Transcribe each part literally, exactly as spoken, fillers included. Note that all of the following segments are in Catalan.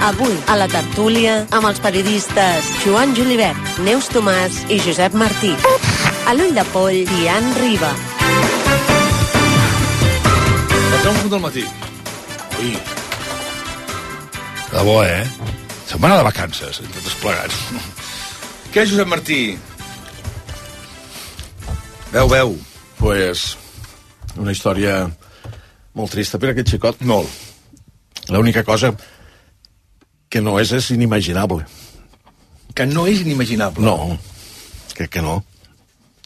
Avui, a la tertúlia, amb els periodistes Joan Julivert, Neus Tomàs i Josep Martí. A l'Ull de Poll, Diane Riba. Passem un punt del matí. Ui. De bo, eh? Setmana de vacances, entre tots plegats. Què, Josep Martí? Veu, veu. Pues, una història molt trista per aquest xicot. Molt. L'única cosa que no és, és inimaginable. Que no és inimaginable? No, crec que no.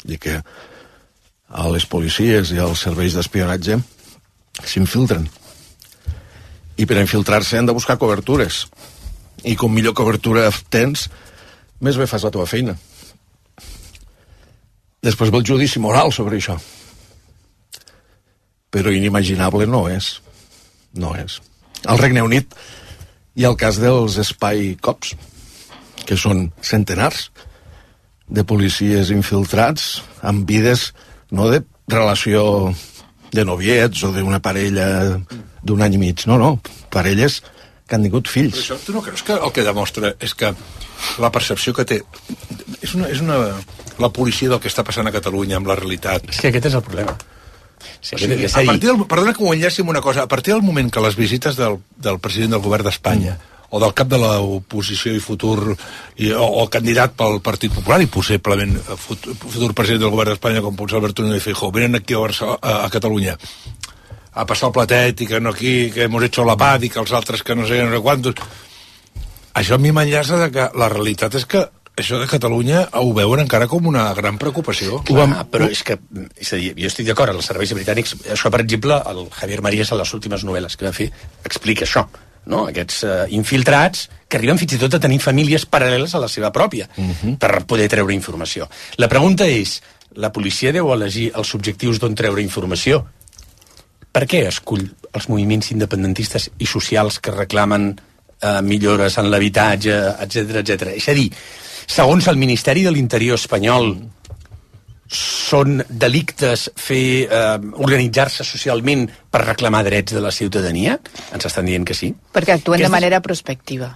I que a les policies i als serveis d'espionatge s'infiltren. I per infiltrar-se han de buscar cobertures. I com millor cobertura tens, més bé fas la teva feina. Després ve el judici moral sobre això. Però inimaginable no és. No és. Al Regne Unit hi ha el cas dels Spy Cops, que són centenars de policies infiltrats amb vides no de relació de noviets o d'una parella d'un any i mig, no, no, parelles que han tingut fills. Però això, tu no creus que el que demostra és que la percepció que té és una, és una, la policia del que està passant a Catalunya amb la realitat? És que aquest és el problema. Sí, o sigui, a partir del, perdona que ho enllaci amb una cosa, a partir del moment que les visites del, del president del govern d'Espanya mm. o del cap de l'oposició i futur i, o, o candidat pel Partit Popular i possiblement futur, futur president del govern d'Espanya com pot ser Alberto Núñez Feijóo venen aquí a, Barcelona, a, a Catalunya a passar el platet i que no aquí que hemos hecho la paz i que els altres que no sé, no sé quantos, això a mi m'enllaça de que la realitat és que això de Catalunya ho veuen encara com una gran preocupació. Clar, però és que, és a dir, jo estic d'acord, els serveis britànics, això per exemple, el Javier Marías a les últimes novel·les que va fer explica això, no? Aquests uh, infiltrats que arriben fins i tot a tenir famílies paral·leles a la seva pròpia, uh-huh. per poder treure informació. La pregunta és, la policia deu elegir els objectius d'on treure informació? Per què escull els moviments independentistes i socials que reclamen uh, millores en l'habitatge, etcètera, etcètera? És a dir, segons el Ministeri de l'Interior espanyol, són delictes fer eh, organitzar-se socialment per reclamar drets de la ciutadania? Ens estan dient que sí. Perquè actuen Aquestes... de manera prospectiva.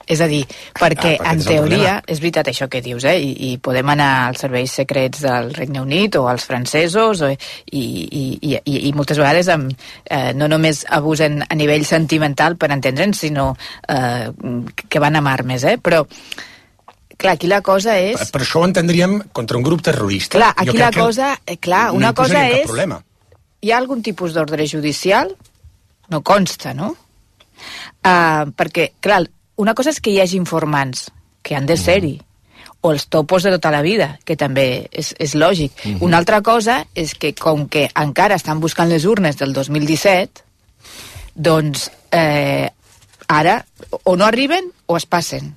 És a dir, perquè, ah, perquè en teoria, és veritat això que dius, eh? I, i podem anar als serveis secrets del Regne Unit o als francesos, o, i, i, i, i moltes vegades amb, eh, no només abusen a nivell sentimental per entendre'ns, sinó eh, que van amb armes, eh? Però clar, aquí la cosa és... Per, per això ho entendríem contra un grup terrorista. Clar, aquí la cosa... Eh, clar, no una cosa és... Problema. Hi ha algun tipus d'ordre judicial? No consta, no? Uh, perquè, clar, una cosa és que hi hagi informants, que han de ser-hi, o els topos de tota la vida, que també és, és lògic. Uh-huh. Una altra cosa és que, com que encara estan buscant les urnes del dos mil disset, doncs eh, ara o no arriben o es passen.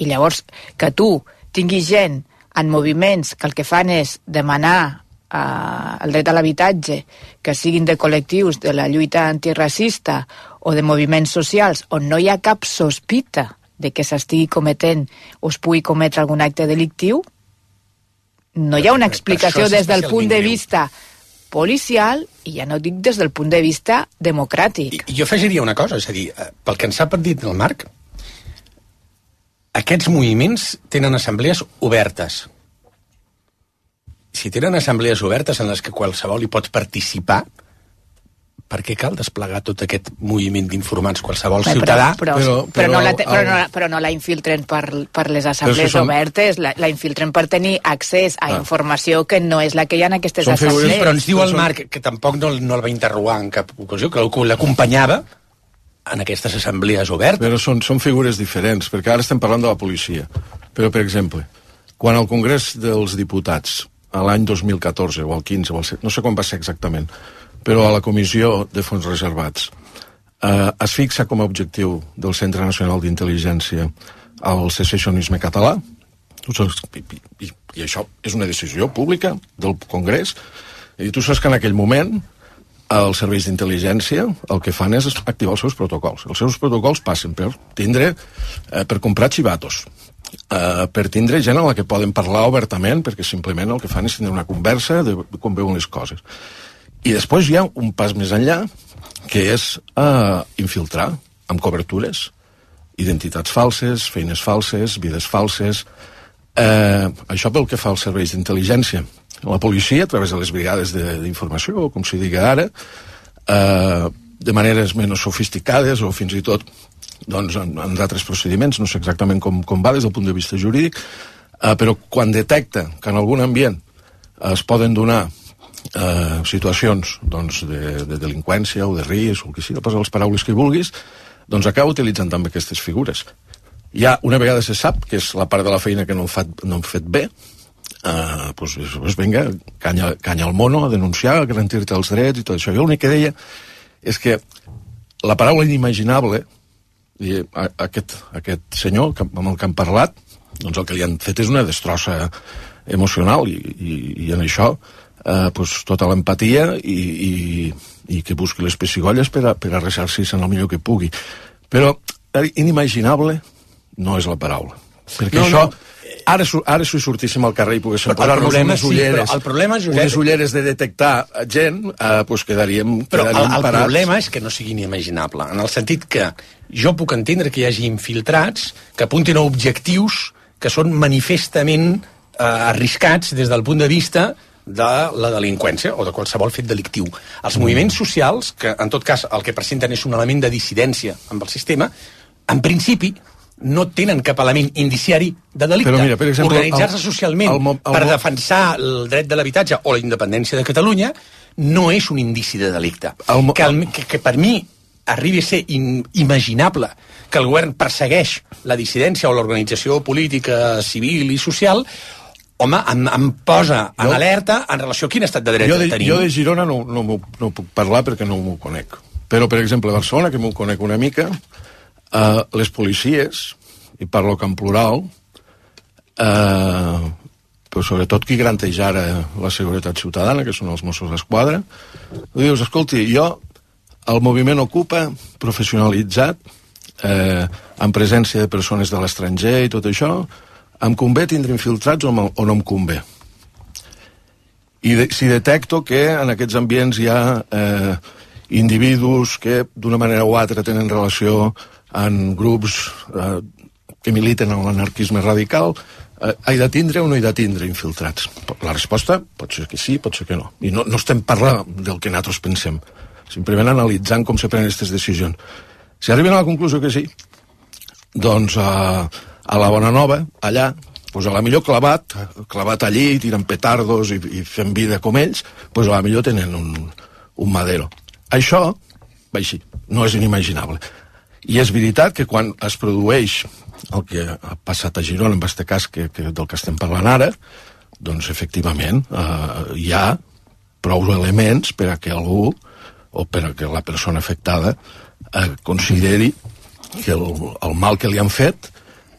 I llavors, que tu tinguis gent en moviments que el que fan és demanar uh, el dret a l'habitatge, que siguin de col·lectius de la lluita antiracista o de moviments socials on no hi ha cap sospita de que s'estigui cometent o es pugui cometre algun acte delictiu, no hi ha una explicació des del punt de vista policial i ja no dic des del punt de vista democràtic. I jo afegiria una cosa, és a dir, pel que ens ha dit el Marc, aquests moviments tenen assemblees obertes. Si tenen assemblees obertes en les que qualsevol hi pot participar, per què cal desplegar tot aquest moviment d'informants? Qualsevol Bé, ciutadà... Però, però, però, però, no la te, però, no, però no la infiltren per, per les assemblees són... obertes, la, la infiltren per tenir accés a ah. informació que no és la que hi ha en aquestes són assemblees. Figures, però ens diu el Marc, que tampoc no, no el va interrogar en cap ocasió, que l'acompanyava en aquestes assemblees obertes. Però són, són figures diferents, perquè ara estem parlant de la policia. Però, per exemple, quan al Congrés dels Diputats, a l'any dos mil catorze, o al quinze, o al set, no sé quan va ser exactament, però a la Comissió de Fons Reservats, eh, es fixa com a objectiu del Centre Nacional d'Intel·ligència el secessionisme català, i, i, i això és una decisió pública del Congrés, i tu saps que en aquell moment els serveis d'intel·ligència el que fan és activar els seus protocols. Els seus protocols passen per tindre, eh, per comprar xivatos, eh, per tindre gent amb la que poden parlar obertament, perquè simplement el que fan és tindre una conversa de com veuen les coses. I després hi ha un pas més enllà, que és eh, infiltrar amb cobertures identitats falses, feines falses, vides falses. Eh, això pel que fa als serveis d'intel·ligència. La policia, a través de les brigades d'informació, com s'hi diga ara, eh, de maneres menys sofisticades o fins i tot doncs, en, en d'altres procediments, no sé exactament com, com va des del punt de vista jurídic, eh, però quan detecta que en algun ambient es poden donar eh, situacions doncs, de, de delinqüència o de risc, o que sigui, posa les paraules que vulguis, doncs acaba utilitzant també aquestes figures. Ja una vegada se sap que és la part de la feina que no hem fet, no hem fet bé, eh, doncs, doncs vinga, canya, canya al mono, a denunciar, a garantir-te els drets i tot això. Jo l'únic que deia és que la paraula inimaginable, i aquest, aquest senyor amb el que han parlat, doncs el que li han fet és una destrossa emocional i, i, i en això eh, doncs tota l'empatia i, i, i que busqui les pessigolles per a, per a ressarcir-se en el millor que pugui. Però inimaginable no és la paraula. Perquè no, això... No. Ara, ara si sortíssim al carrer i poguéssim posar-nos unes ulleres, sí, el problema, Josep, unes ulleres de detectar gent, eh, doncs quedaríem, però quedaríem el, el parats. problema és que no sigui inimaginable, en el sentit que jo puc entendre que hi hagi infiltrats que apuntin a objectius que són manifestament eh, arriscats des del punt de vista de la delinqüència o de qualsevol fet delictiu. Els mm. moviments socials, que en tot cas el que presenten és un element de dissidència amb el sistema, en principi no tenen cap element indiciari de delicte. Mira, per exemple, organitzar-se socialment el, el, el, per defensar el dret de l'habitatge o la independència de Catalunya no és un indici de delicte. El, que, el, que, que per mi arribi a ser inimaginable que el govern persegueix la dissidència o l'organització política, civil i social, home, em, em posa en jo, alerta en relació a quin estat de dret jo de, tenim. Jo de Girona no, no, no puc parlar perquè no m'ho conec. Però, per exemple, a Barcelona, que m'ho conec una mica, Uh, les policies, i parlo que en plural, uh, però sobretot qui garanteix ara la seguretat ciutadana, que són els Mossos d'Esquadra, dius, escolti, jo, el moviment Ocupa, professionalitzat, eh, amb presència de persones de l'estranger i tot això, em convé tindre infiltrats o, o no em convé? I de, si detecto que en aquests ambients hi ha eh, individus que d'una manera o altra tenen relació en grups eh, que militen en l'anarquisme radical, eh, he de tindre o no he de tindre infiltrats? La resposta pot ser que sí, pot ser que no. I no, no estem parlant del que nosaltres pensem, simplement analitzant com se prenen aquestes decisions. Si arriben a la conclusió que sí, doncs a, a la Bonanova, allà, doncs a la millor clavat, clavat allí, tirant petardos i, i fent vida com ells, doncs a la millor tenen un, un madero. Això, va així, no és inimaginable. I és veritat que quan es produeix el que ha passat a Girona, en aquest cas que, que del que estem parlant ara, doncs efectivament eh, hi ha prou elements per a que algú o per a que la persona afectada eh, consideri que el, el mal que li han fet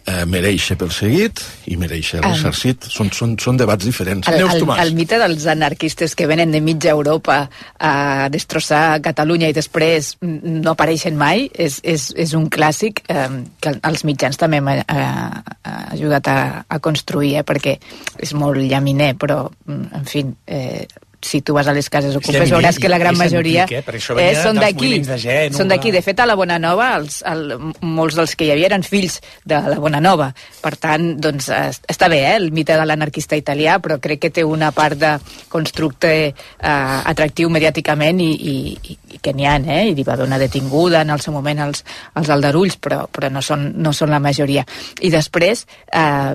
eh, mereix ser perseguit i mereix ser ressarcit. Són, són, són debats diferents. El, el, el mite dels anarquistes que venen de mitja Europa a destrossar Catalunya i després no apareixen mai és, és, és un clàssic eh, que els mitjans també m'ha eh, ajudat a, a construir, eh, perquè és molt llaminer, però, en fi... Eh, si tu vas a les cases ocupes veuràs que la gran majoria antic, eh? eh, són d'aquí, de són d'aquí. De fet, a la Bonanova els, el, molts dels que hi havia eren fills de la Bonanova. Per tant, doncs, està bé, eh, el mite de l'anarquista italià, però crec que té una part de constructe eh, atractiu mediàticament i, i, i que n'hi ha, eh? I hi va haver una detinguda en el seu moment als, als aldarulls, però, però no, són, no són la majoria. I després... Eh,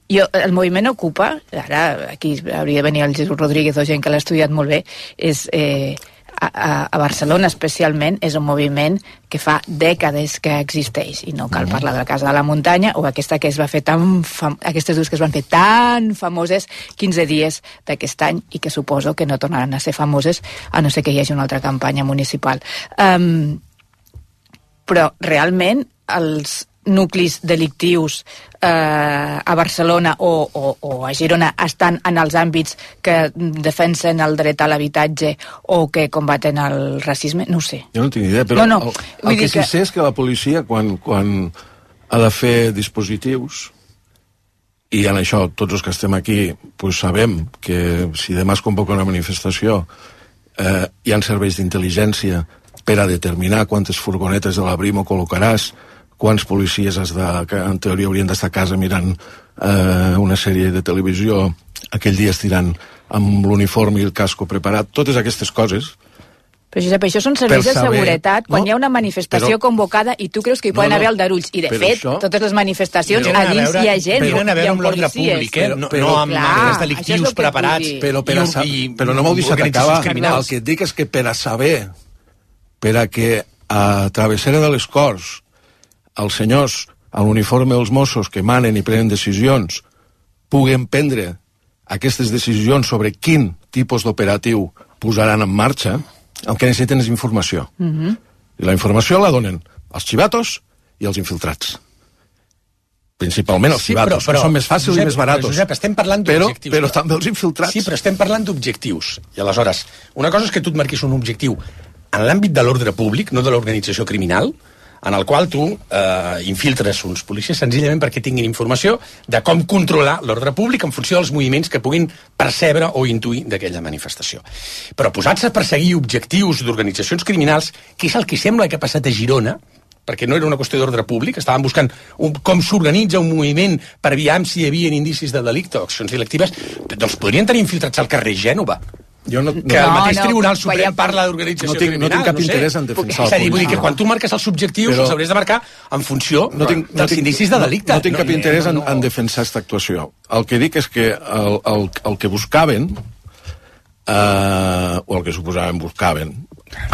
Jo, el moviment Ocupa, ara aquí hauria de venir el Jesús Rodríguez o gent que l'ha estudiat molt bé, és, eh, a, a Barcelona especialment, és un moviment que fa dècades que existeix, i no cal parlar de la Casa de la Muntanya o aquesta que es va fer tan fam... aquestes dues que es van fer tan famoses quinze dies d'aquest any i que suposo que no tornaran a ser famoses a no ser que hi hagi una altra campanya municipal. Um, però realment els nuclis delictius eh, a Barcelona o, o, o a Girona estan en els àmbits que defensen el dret a l'habitatge o que combaten el racisme? No ho sé. Jo no tinc idea, però no, no. el, el que sí que sé és que la policia, quan, quan ha de fer dispositius, i en això tots els que estem aquí pues, sabem que si demà es convoca una manifestació eh, hi ha serveis d'intel·ligència per a determinar quantes furgonetes de la Brimo col·locaràs, quants policies has de, que en teoria haurien d'estar a casa mirant eh, una sèrie de televisió, aquell dia estirant amb l'uniforme i el casco preparat, totes aquestes coses. Però, Josep, això són serveis de seguretat quan no, hi ha una manifestació però, convocada i tu creus que hi poden no, no, haver aldarulls. I, de fet, això, totes les manifestacions a dins veure, hi ha gent, però, hi ha amb l'ordre públic, eh? no, però, no amb clar, actes delictius preparats. Però, per a, i, però no m'ho deixat acabar. El que et dic és que per a saber, per a que a Travessera de les Corts els senyors a l'uniforme dels Mossos que manen i prenen decisions puguen prendre aquestes decisions sobre quin tipus d'operatiu posaran en marxa, el que necessiten és informació. Uh-huh. I la informació la donen els xivatos i els infiltrats. Principalment els sí, xivatos, però, però, que són més fàcils Josep, i més baratos. Josep, estem parlant però, d'objectius. però també els infiltrats. Sí, però estem parlant d'objectius. I aleshores, una cosa és que tu et marquis un objectiu en l'àmbit de l'ordre públic, no de l'organització criminal, en el qual tu eh, infiltres uns policies senzillament perquè tinguin informació de com controlar l'ordre públic en funció dels moviments que puguin percebre o intuir d'aquella manifestació. Però posats a perseguir objectius d'organitzacions criminals, que és el que sembla que ha passat a Girona, perquè no era una qüestió d'ordre públic, estaven buscant un, com s'organitza un moviment per aviam si hi havia indicis de delicte o accions delictives, doncs podrien tenir infiltrats al carrer Gènova. Jo no, que el no, mateix no, Tribunal Suprem veiem... parla d'organització no tinc, criminal. No tinc cap no sé. interès en defensar És a dir, vull dir que no. quan tu marques els objectius Però... els hauries de marcar en funció no tinc, no dels tinc, indicis de delicte. No, no tinc cap no, interès no, en, no. en defensar aquesta actuació. El que dic és que el, el, el que buscaven, eh, o el que suposaven buscaven,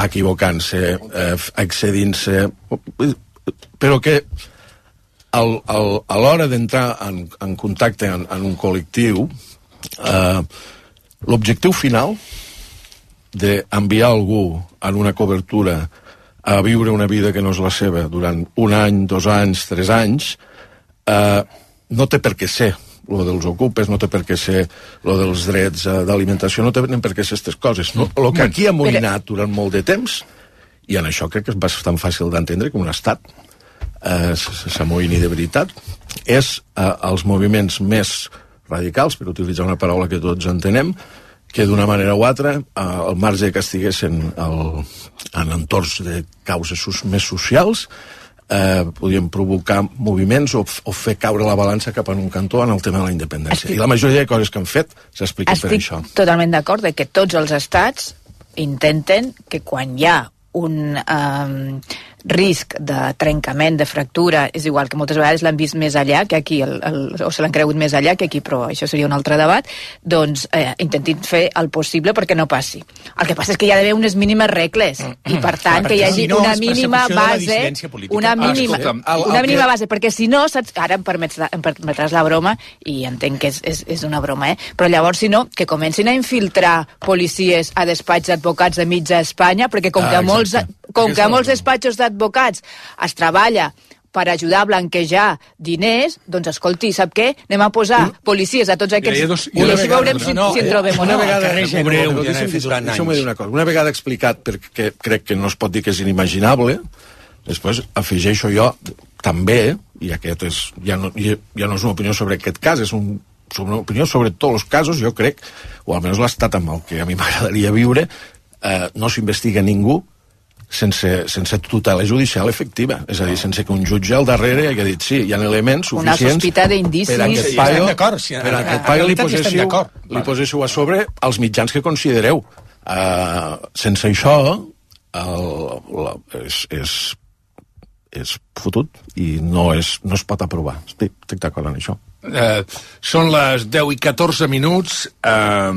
equivocant-se, eh, excedint-se, però que al, al, a l'hora d'entrar en, en contacte en, en un col·lectiu, eh, l'objectiu final d'enviar algú en una cobertura a viure una vida que no és la seva durant un any, dos anys, tres anys, eh, no té per què ser lo dels ocupes, no té per què ser lo dels drets eh, d'alimentació, no té per què ser aquestes coses. No? El que aquí ha molinat durant molt de temps, i en això crec que és bastant fàcil d'entendre que un estat eh, s'amoïni de veritat, és eh, els moviments més radicals, per utilitzar una paraula que tots entenem, que d'una manera o altra, eh, al marge que estiguessin el, en entorns de causes sos, més socials, eh, podien provocar moviments o, o fer caure la balança cap en un cantó en el tema de la independència. Estic... I la majoria de coses que han fet s'expliquen per això. Estic totalment d'acord de que tots els estats intenten que quan hi ha un um, risc de trencament, de fractura, és igual que moltes vegades l'han vist més allà que aquí, el, el, o se l'han cregut més allà que aquí, però això seria un altre debat, doncs eh, intentin fer el possible perquè no passi. El que passa és que hi ha d'haver unes mínimes regles i per tant que hi hagi si no, una és mínima persecució de la base dissidència política. una Ah, mínima, escolta'm, el- el una mínima que- base, perquè si no, saps, ara em, permets, em permetràs la broma i entenc que és, és, és una broma, eh? Però llavors si no, que comencin a infiltrar policies a despatx d'advocats de mitja Espanya, perquè com Ah, que a molts, exacte. com Aquesta que a és la molts broma. despatxos d'advocats es treballa per ajudar a blanquejar diners, doncs escolti, sap què? Anem a posar policies a tots aquests... Mira, hi ha dos- I així veurem si, no, si en eh, trobem o una no. vegada, carrer una Gènova, breu, ja n'he deixa'm, fet durant deixa'm anys. dir una cosa. Una vegada explicat, perquè crec que no es pot dir que és inimaginable, després afegeixo jo també, i aquest és, ja, no, ja, ja no és una opinió sobre aquest cas, és un, sobre una opinió sobre tots els casos, jo crec, o almenys l'estat amb el que a mi m'agradaria viure, eh, no s'investiga ningú sense, sense tutela judicial efectiva, és a dir, sense que un jutge al darrere hagi dit sí, hi ha elements Una suficients sospita d'indicis. per a aquest Sí, paio, estem d'acord, sí, per a en- aquest en paio li realitat hi estem posessiu, d'acord. li Vale. posessiu a sobre els mitjans que considereu. Uh, sense això el, la, és, és, és fotut i no, és, no es pot aprovar. Estic, estic d'acord en això. Eh, són les deu i catorze minuts. Eh,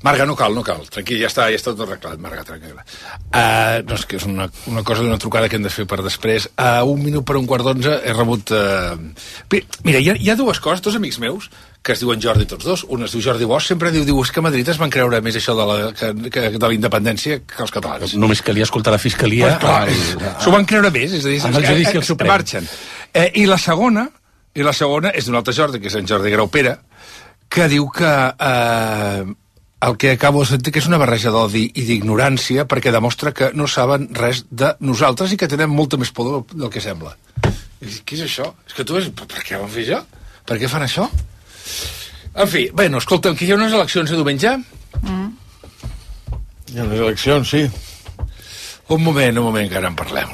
Marga, no cal, no cal. Tranquil, ja està, ja està tot arreglat, Marga, tranquil·la. Uh, no, és que és una, una cosa d'una trucada que hem de fer per després. A uh, un minut per un quart d'onze he rebut... Uh... Mira, hi ha, hi ha dues coses, dos amics meus, que es diuen Jordi tots dos. Un es diu Jordi Bosch, sempre diu, diu és que a Madrid es van creure més això de la, que, que, de la independència que els catalans. Només calia escoltar la fiscalia. Pues clar, al- s'ho van creure més, és a dir, amb el judici al Suprem. marxen. Eh, I la segona, i la segona és d'un altre Jordi, que és en Jordi Graupera, que diu que eh, el que acabo de sentir que és una barreja d'odi i d'ignorància perquè demostra que no saben res de nosaltres i que tenen molta més por del, del que sembla. I dic, què és això? És que tu ves, per, per què van fer això? Per què fan això? En fi, bueno, escolta'm, que hi ha unes eleccions a diumenge? Hi ha les eleccions, sí. Un moment, un moment, que ara en parlem.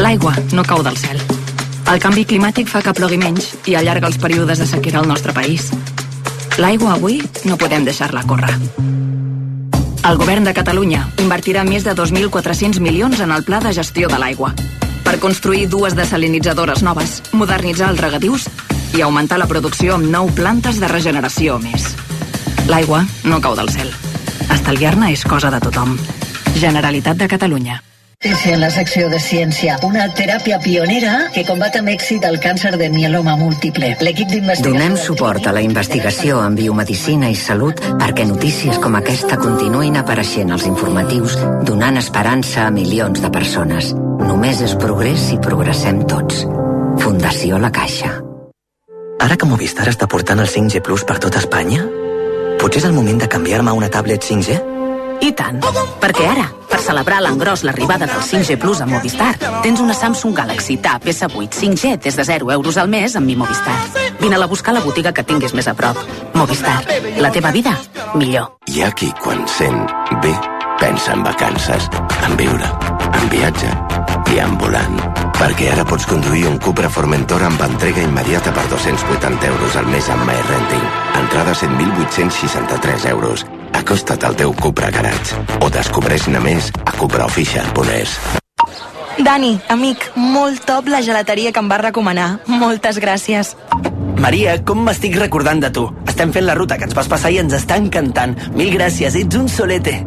L'aigua no cau del cel. El canvi climàtic fa que plogui menys i allarga els períodes de sequera al nostre país. L'aigua avui no podem deixar-la córrer. El govern de Catalunya invertirà més de dos mil quatre-cents milions en el pla de gestió de l'aigua per construir dues desalinitzadores noves, modernitzar els regadius i augmentar la producció amb nou plantes de regeneració més. L'aigua no cau del cel. Estalviar-ne és cosa de tothom. Generalitat de Catalunya. En la secció de ciència, una teràpia pionera que combat amb èxit el càncer de mieloma múltiple. L'equip d'investigació... Donem suport a la investigació en biomedicina i salut perquè notícies com aquesta continuïn apareixent als informatius, donant esperança a milions de persones. Només és progrés si progressem tots. Fundació La Caixa. Ara que Movistar està portant el cinc G Plus per tot Espanya, potser és el moment de canviar-me a una tablet cinc G? I tant, perquè ara, per celebrar l'engròs l'arribada del cinc G Plus a Movistar, tens una Samsung Galaxy Tab S vuit cinc G des de zero euros al mes amb Mi Movistar. Vine-la a buscar a la botiga que tinguis més a prop. Movistar, la teva vida, millor. Hi ha qui, quan sent bé, pensa en vacances, en viure, en viatge i en volant. Perquè ara pots conduir un Cupra Formentor amb entrega immediata per dos-cents vuitanta euros al mes amb MyRenting. Entrada set mil vuit-cents seixanta-tres euros. Acosta't al teu Cupra Garage o descobreix-ne més a cupraofficial punt es. Dani, amic, molt top la gelateria que em vas recomanar. Moltes gràcies. Maria, com m'estic recordant de tu? Estem fent la ruta que ens vas passar i ens està encantant. Mil gràcies, ets un solete.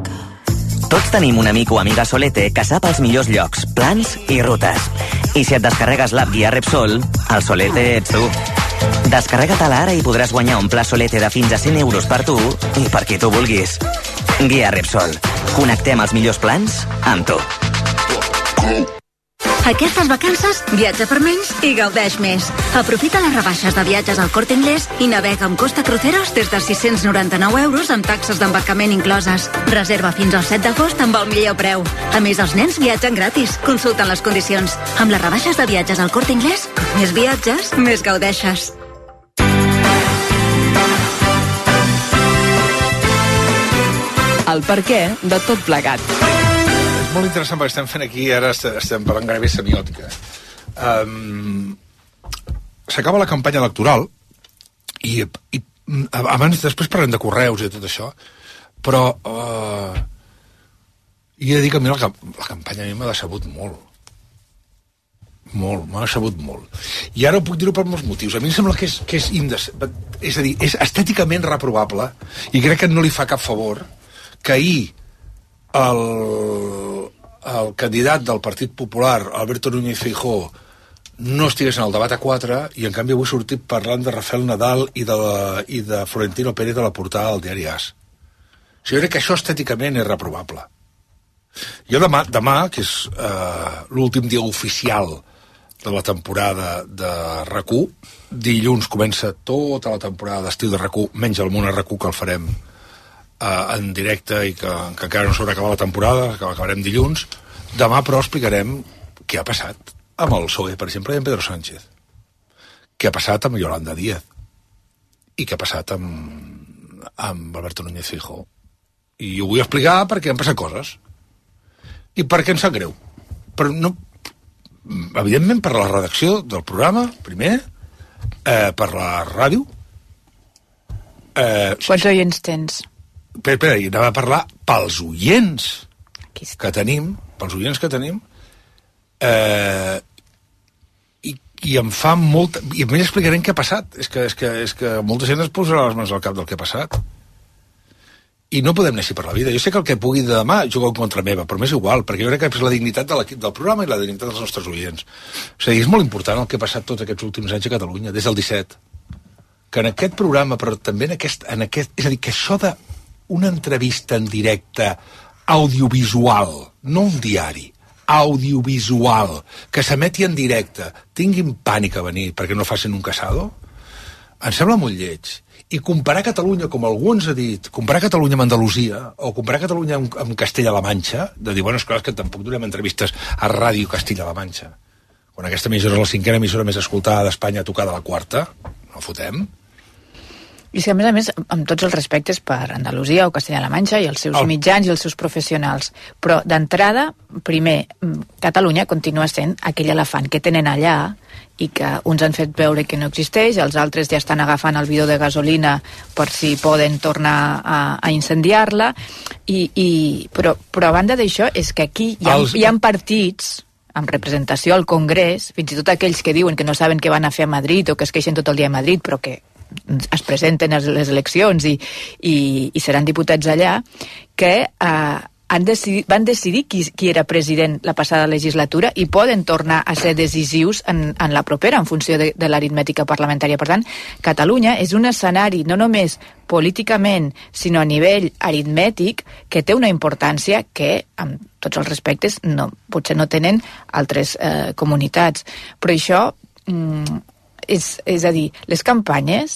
Tots tenim un amic o amiga solete que sap els millors llocs, plans i rutes. I si et descarregues l'app Guia Repsol, el solete ets tu. Descarrega-te-la ara i podràs guanyar un pla solete de fins a cent euros per tu i per qui tu vulguis. Guia Repsol. Connectem els millors plans amb tu. Aquestes vacances, viatja per menys i gaudeix més. Aprofita les rebaixes de viatges al Corte Inglés i navega amb Costa Cruceros des de sis-cents noranta-nou euros amb taxes d'embarcament incloses. Reserva fins al set d'agost amb el millor preu. A més, els nens viatgen gratis. Consulten les condicions. Amb les rebaixes de viatges al Corte Inglés, com més viatges, més gaudeixes. El perquè de tot plegat. Molt interessant perquè estem fent aquí, ara estem parlant gairebé semiòtica. Um, S'acaba la campanya electoral i, i abans, després parlem de correus i de tot això, però uh, i he de dir que a mi la, la campanya a mi m'ha decebut molt. Molt, m'ha decebut molt. I ara ho puc dir-ho per molts motius. A mi em sembla que és, que és, indes... és a dir, és estèticament reprovable i crec que no li fa cap favor que ahir El, el candidat del Partit Popular, Alberto Núñez Feijóo, no estigués en el debat a quatre i en canvi avui sortit parlant de Rafael Nadal i de, la, i de Florentino Pérez de la portada del diari A S. O sigui, jo crec que això estèticament és reprovable. Jo demà, demà que és eh, l'últim dia oficial de la temporada de R A C u, dilluns comença tota la temporada d'estiu de R A C u, menys el Món a R A C u que el farem Uh, en directe i que, que encara no s'haurà acabat la temporada, que acabarem dilluns. Demà, però, explicarem què ha passat amb el P S O E, per exemple, i amb Pedro Sánchez. Què ha passat amb Yolanda Díaz. I què ha passat amb, amb Alberto Núñez Feijóo. I ho vull explicar perquè han passat coses. I perquè em sap greu. Però no... Evidentment, per la redacció del programa, primer, eh, per la ràdio... Eh, Quants oients tens? Espera, espera, i anava a parlar pels oients que tenim, pels oients que tenim, eh, i, i em fa molt... I a mi explicarem què ha passat. És que, és, que, és que molta gent es posarà les mans al cap del que ha passat. I no podem anar així per la vida. Jo sé que el que pugui de demà jugar en contra meva, però m'és igual, perquè jo crec que és la dignitat de l'equip del programa i la dignitat dels nostres oients. O sigui, és molt important el que ha passat tots aquests últims anys a Catalunya, des del disset. Que en aquest programa, però també en aquest... En aquest és a dir, que això de una entrevista en directe audiovisual, no un diari, audiovisual, que s'emeti en directe, tinguin pànic a venir perquè no facin un casado, em sembla molt lleig. I comparar Catalunya, com algú ens ha dit, comparar Catalunya amb Andalusia, o comparar Catalunya amb, amb Castella-La Manxa, de dir, bueno, és clar que tampoc donem entrevistes a Ràdio Castilla-La Manxa, quan aquesta emissora és la cinquena emissora més escoltada d'Espanya, tocada la quarta, no fotem. I és que, a més a més, amb tots els respectes per Andalusia o Castella-La Manxa i els seus oh. mitjans i els seus professionals, però d'entrada, primer, Catalunya continua sent aquell elefant que tenen allà i que uns han fet veure que no existeix, els altres ja estan agafant el bidó de gasolina per si poden tornar a, a incendiar-la, i, i, però, però a banda d'això és que aquí hi ha, els... hi ha partits amb representació al Congrés, fins i tot aquells que diuen que no saben què van a fer a Madrid o que es queixen tot el dia a Madrid, però que es presenten a les eleccions i, i, i seran diputats allà, que eh, han decidit, van decidir qui, qui era president la passada legislatura i poden tornar a ser decisius en, en la propera, en funció de, de l'aritmètica parlamentària. Per tant, Catalunya és un escenari no només políticament, sinó a nivell aritmètic, que té una importància que, amb tots els respectes, no, potser no tenen altres eh, comunitats. Però això... Mm, És, és a dir, les campanyes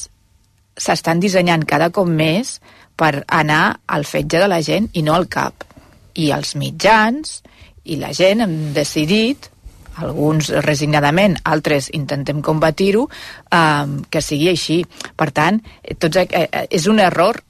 s'estan dissenyant cada cop més per anar al fetge de la gent i no al cap. I els mitjans i la gent hem decidit, alguns resignadament, altres intentem combatir-ho, eh, que sigui així. Per tant, tots, eh, és un error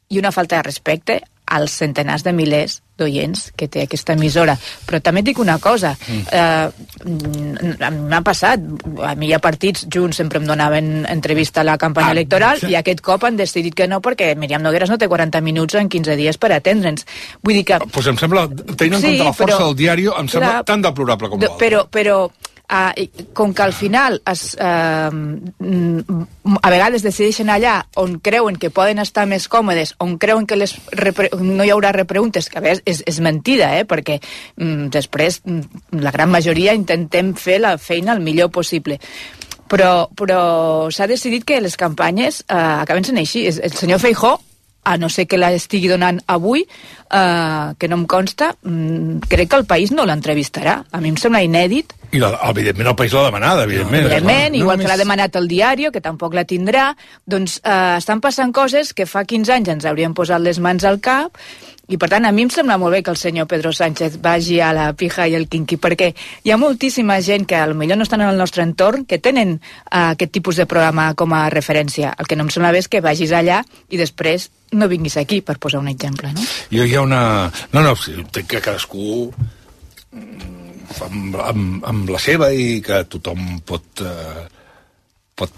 i una falta de respecte als centenars de milers d'oients que té aquesta emissora. Però també et dic una cosa, eh, m'ha passat, a mi hi ha partits, Junts sempre em donaven entrevista a la campanya ah, electoral, sí. I aquest cop han decidit que no, perquè Míriam Nogueras no té quaranta minuts en quinze dies per atendre'ns. Vull dir que... Pues em sembla, tenint en sí, compte la força però, del diari, em sembla clar, tan deplorable com l'altre. Però, però Uh, com que al final es, uh, a vegades decideixen allà on creuen que poden estar més còmodes, on creuen que les no hi haurà repreguntes, que a vegades és, és mentida, eh? Perquè um, després la gran majoria intentem fer la feina el millor possible. Però, però s'ha decidit que les campanyes uh, acaben sent així. El senyor Feijóo, a no ser que la estigui donant avui, uh, que no em consta, um, crec que el País no l'entrevistarà. A mi em sembla inèdit. I la, evidentment el País l'ha demanat, evidentment. Evidentment, no, igual no, que l'ha demanat el Diario, que tampoc la tindrà. Doncs eh, estan passant coses que fa quinze anys ens hauríem posat les mans al cap, i per tant a mi em sembla molt bé que el senyor Pedro Sánchez vagi a la pija i el quinqui, perquè hi ha moltíssima gent que potser no estan en el nostre entorn que tenen eh, aquest tipus de programa com a referència. El que no em sembla bé és que vagis allà i després no vinguis aquí, per posar un exemple, no? Jo hi ha una... No, no, entenc que cadascú... Amb, amb, amb la seva i que tothom pot, eh, pot...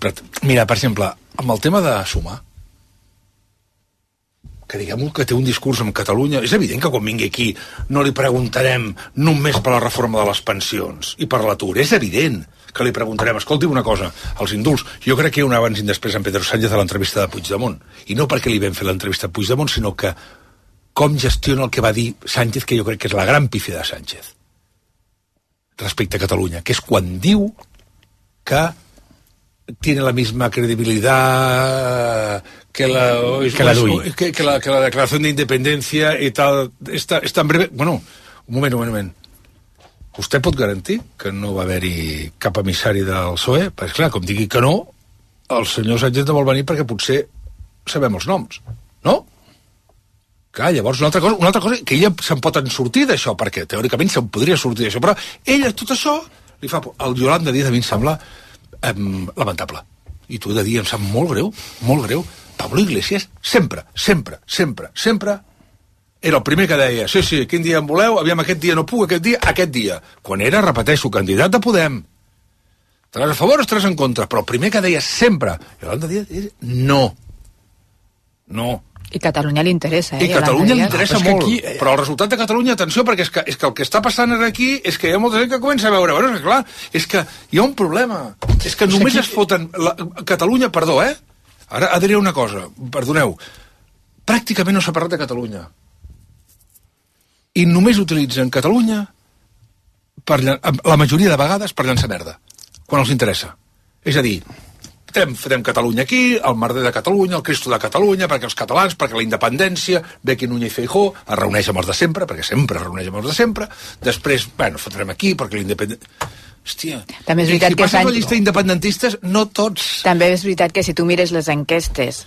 Mira, per exemple, amb el tema de sumar, que diguem que té un discurs amb Catalunya, és evident que quan vingui aquí no li preguntarem només per la reforma de les pensions i per l'atur, és evident que li preguntarem, escolti una cosa, els indults, jo crec que hi ha un abans i després en Pedro Sánchez a l'entrevista de Puigdemont, i no perquè li vam fer l'entrevista a Puigdemont, sinó que com gestiona el que va dir Sánchez, que jo crec que és la gran pífia de Sánchez respecte a Catalunya, que és quan diu que tiene la misma credibilidad que la, que la, que, que la, que la declaración de independencia y tal, es tan breve... Bueno, un moment, un moment. Vostè pot garantir que no va haver-hi cap emissari del P S O E? Perquè, clar, com digui que no, el senyor Sánchez no vol venir perquè potser sabem els noms, no? Clar, llavors, una altra cosa, una altra cosa que ella se'n pot en sortir d'això, perquè teòricament se'n podria sortir d'això, però ella, tot això, li fa por. El Yolanda Díaz a mi em sembla eh, lamentable. I t'ho he de dir, em sap molt greu, molt greu. Pablo Iglesias, sempre, sempre, sempre, sempre, era el primer que deia, sí, sí, quin dia en voleu, aviam, aquest dia no puc, aquest dia, aquest dia. Quan era, repeteixo, candidat de Podem. Estaràs a favor o estaràs en contra? Però el primer que deia sempre, Yolanda Díaz, és no. No. I Catalunya li interessa, eh? I Catalunya li interessa no, molt, aquí... però el resultat de Catalunya, atenció, perquè és que, és que el que està passant aquí és que hi ha molta gent que comença a veure, bueno, és que clar, és que hi ha un problema, és que només aquí... es foten... La... Catalunya, perdó, eh? Ara diré una cosa, perdoneu, pràcticament no s'ha parlat de Catalunya. I només utilitzen Catalunya per, la majoria de vegades per llançar merda, quan els interessa. És a dir, Fem, fem Catalunya aquí, el merder de Catalunya, el Cristo de Catalunya, perquè els catalans, perquè la independència, Bequi Núñez i Feijóo, es reuneix amb els de sempre, perquè sempre es reuneix amb els de sempre, després, bueno, fotrem aquí, perquè la independència... Hòstia, també és veritat si que passes la llista d'independentistes, no tots... També és veritat que si tu mires les enquestes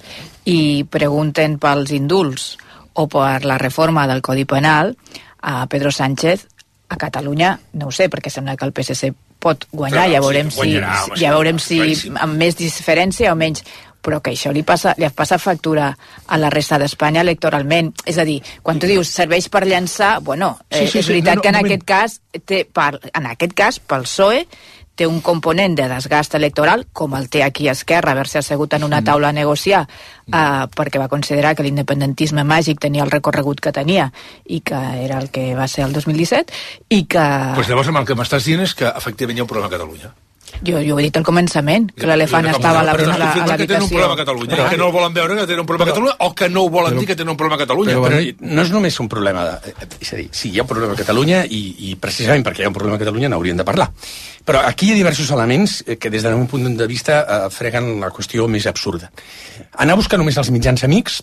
i pregunten pels indults o per la reforma del Codi Penal, a Pedro Sánchez, a Catalunya, no ho sé, perquè sembla que el P S C pot guanyar, ja veurem, sí, guanyarà, si, home, ja veurem si amb més diferència o menys, però que això li passa, li passa factura a la resta d'Espanya electoralment. És a dir, quan tu dius serveix per llançar, bueno, eh, sí, sí, és veritat sí, no, no, que en moment. aquest cas, té, per, en aquest cas, pel P S O E, té un component de desgast electoral, com el té aquí a Esquerra, haver-se assegut en una taula a negociar, eh, perquè va considerar que l'independentisme màgic tenia el recorregut que tenia, i que era el que va ser el dos mil disset, i que... Pues llavors el que m'estàs dient és que efectivament hi ha un problema a Catalunya. Jo, jo ho he dit al començament, que l'elefant estava a la, a, a, a l'habitació. Que tenen un problema a Catalunya, però, que no el volen veure que tenen un problema a Catalunya, o que no ho volen però, dir que tenen un problema a Catalunya. Però, però no és només un problema, de, és a dir, sí, hi ha un problema a Catalunya i, i precisament perquè hi ha un problema a Catalunya n'hauríem de parlar. Però aquí hi ha diversos elements que des del meu punt de vista eh, freguen la qüestió més absurda. Anar a buscar només els mitjans amics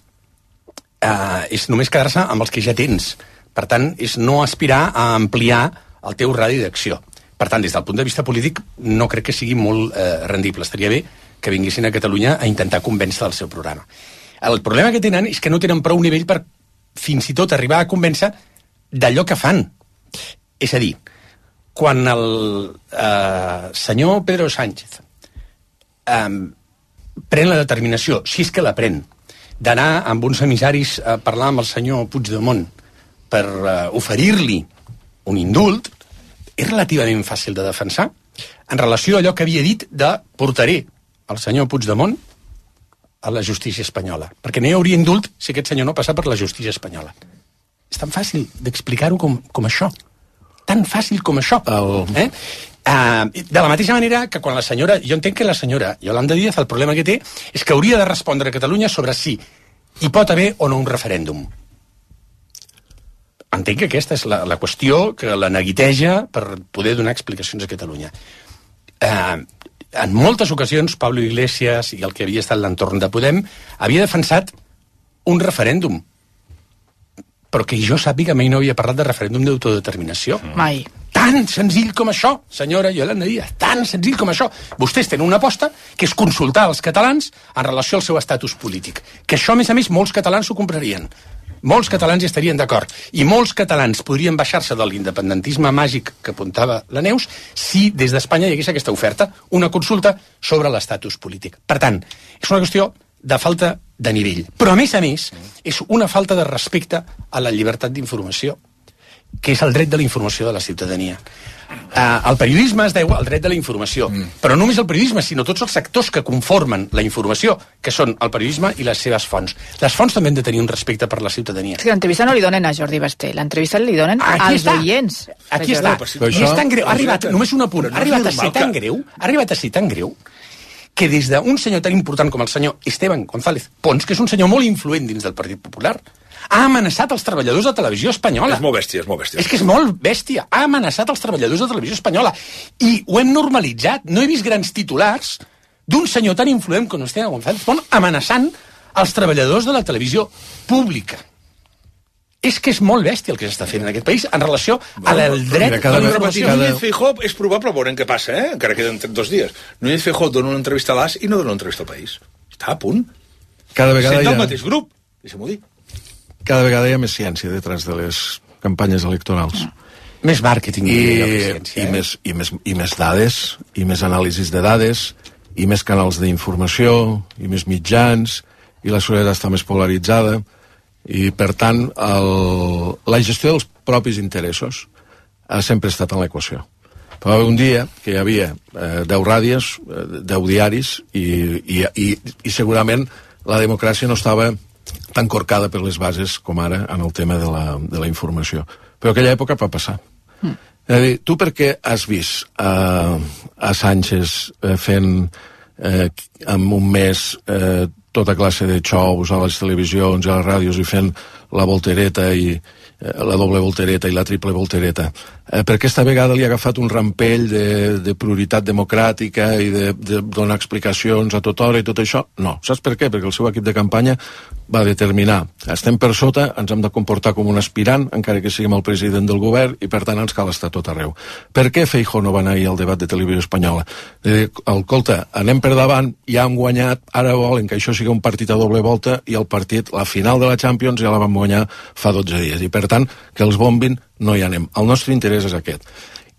eh, és només quedar-se amb els que ja tens. Per tant, és no aspirar a ampliar el teu radi d'acció. Per tant, des del punt de vista polític, no crec que sigui molt eh, rendible. Estaria bé que vinguessin a Catalunya a intentar convèncer del seu programa. El problema que tenen és que no tenen prou nivell per fins i tot arribar a convèncer d'allò que fan. És a dir, quan el eh, senyor Pedro Sánchez eh, pren la determinació, si és que la pren, d'anar amb uns emissaris a parlar amb el senyor Puigdemont per eh, oferir-li un indult, és relativament fàcil de defensar en relació a allò que havia dit de portaré el senyor Puigdemont a la justícia espanyola, perquè no hi hauria indult si aquest senyor no passa per la justícia espanyola. És tan fàcil d'explicar-ho com, com això. Tan fàcil com això. El... Eh? Uh, de la mateixa manera que quan la senyora... Jo entenc que la senyora Yolanda Díaz el problema que té és que hauria de respondre a Catalunya sobre si hi pot haver o no un referèndum. Entenc que aquesta és la, la qüestió que la neguiteja per poder donar explicacions a Catalunya. Eh, en moltes ocasions, Pablo Iglesias i el que havia estat l'entorn de Podem havia defensat un referèndum, però que jo sàpiga mai no havia parlat de referèndum d'autodeterminació. Mai. Tan senzill com això, senyora Yolanda Díaz, tan senzill com això. Vostès tenen una aposta que és consultar els catalans en relació al seu estatus polític. Que això, a més a més, molts catalans ho comprarien. Molts catalans hi estarien d'acord. I molts catalans podrien baixar-se de l'independentisme màgic que apuntava la Neus si des d'Espanya hi hagués aquesta oferta, una consulta sobre l'estatus polític. Per tant, és una qüestió de falta de nivell. Però, a més a més, és una falta de respecte a la llibertat d'informació, que és el dret de la informació de la ciutadania. Uh, el periodisme es deu al dret de la informació, mm. però no només el periodisme, sinó tots els sectors que conformen la informació, que són el periodisme i les seves fonts. Les fonts també han de tenir un respecte per la ciutadania. Sí, l'entrevista no li donen a Jordi Basté, l'entrevista li donen Aquí als està. oients. Aquí està. I això... és tan greu, ha arribat, només un apunt, ha arribat a ser tan greu, ha arribat a ser tan greu, que des d'un senyor tan important com el senyor Esteban González Pons, que és un senyor molt influent dins del Partit Popular, ha amenaçat els treballadors de televisió espanyola. És molt bèstia, és molt bèstia. És que és molt bèstia. Ha amenaçat els treballadors de televisió espanyola. I ho hem normalitzat. No he vist grans titulars d'un senyor tan influent com Esteban González Pons amenaçant els treballadors de la televisió pública. És que és molt bèstia el que s'està fent en aquest país en relació al dret a la informació. Núñez Feijóo és probable, veurem què passa, eh? Encara queden dos dies. Núñez Feijóo dona una entrevista a l'A S i no dona una entrevista al País. Està a punt. Cada vegada Sent hi ha... el mateix grup, deixa'm-ho dir. Cada vegada hi ha més ciència detrás de les campanyes electorals. Més màrqueting. I, ciència, i, eh? més, i, més, i més dades, i més anàlisis de dades, i més canals d'informació, i més mitjans, i la societat està més polaritzada, i per tant el, la gestió dels propis interessos ha sempre estat en l'equació. Però un dia que hi havia eh, deu ràdios, eh, deu diaris, i, i, i, i segurament la democràcia no estava tan corcada per les bases com ara en el tema de la, de la informació. Però aquella època va passar. Mm. És a dir, tu per què has vist a, a Sánchez eh, fent eh, en un mes eh, tota classe de xous a les televisions i a les ràdios i fent la voltereta i eh, la doble voltereta i la triple voltereta? Eh, per aquesta vegada li ha agafat un rampell de, de prioritat democràtica i de, de donar explicacions a tota hora i tot això? No. Saps per què? Perquè el seu equip de campanya va determinar, estem per sota, ens hem de comportar com un aspirant, encara que siguem el president del govern, i per tant ens cal estar tot arreu. Per què Feijóo no va anar ahir al debat de televisió espanyola? Eh, escolta, anem per davant, ja hem guanyat, ara volen que això sigui un partit a doble volta, i el partit, la final de la Champions, ja la vam guanyar fa dotze dies, i per tant, que els bombin, no hi anem. El nostre interès és aquest.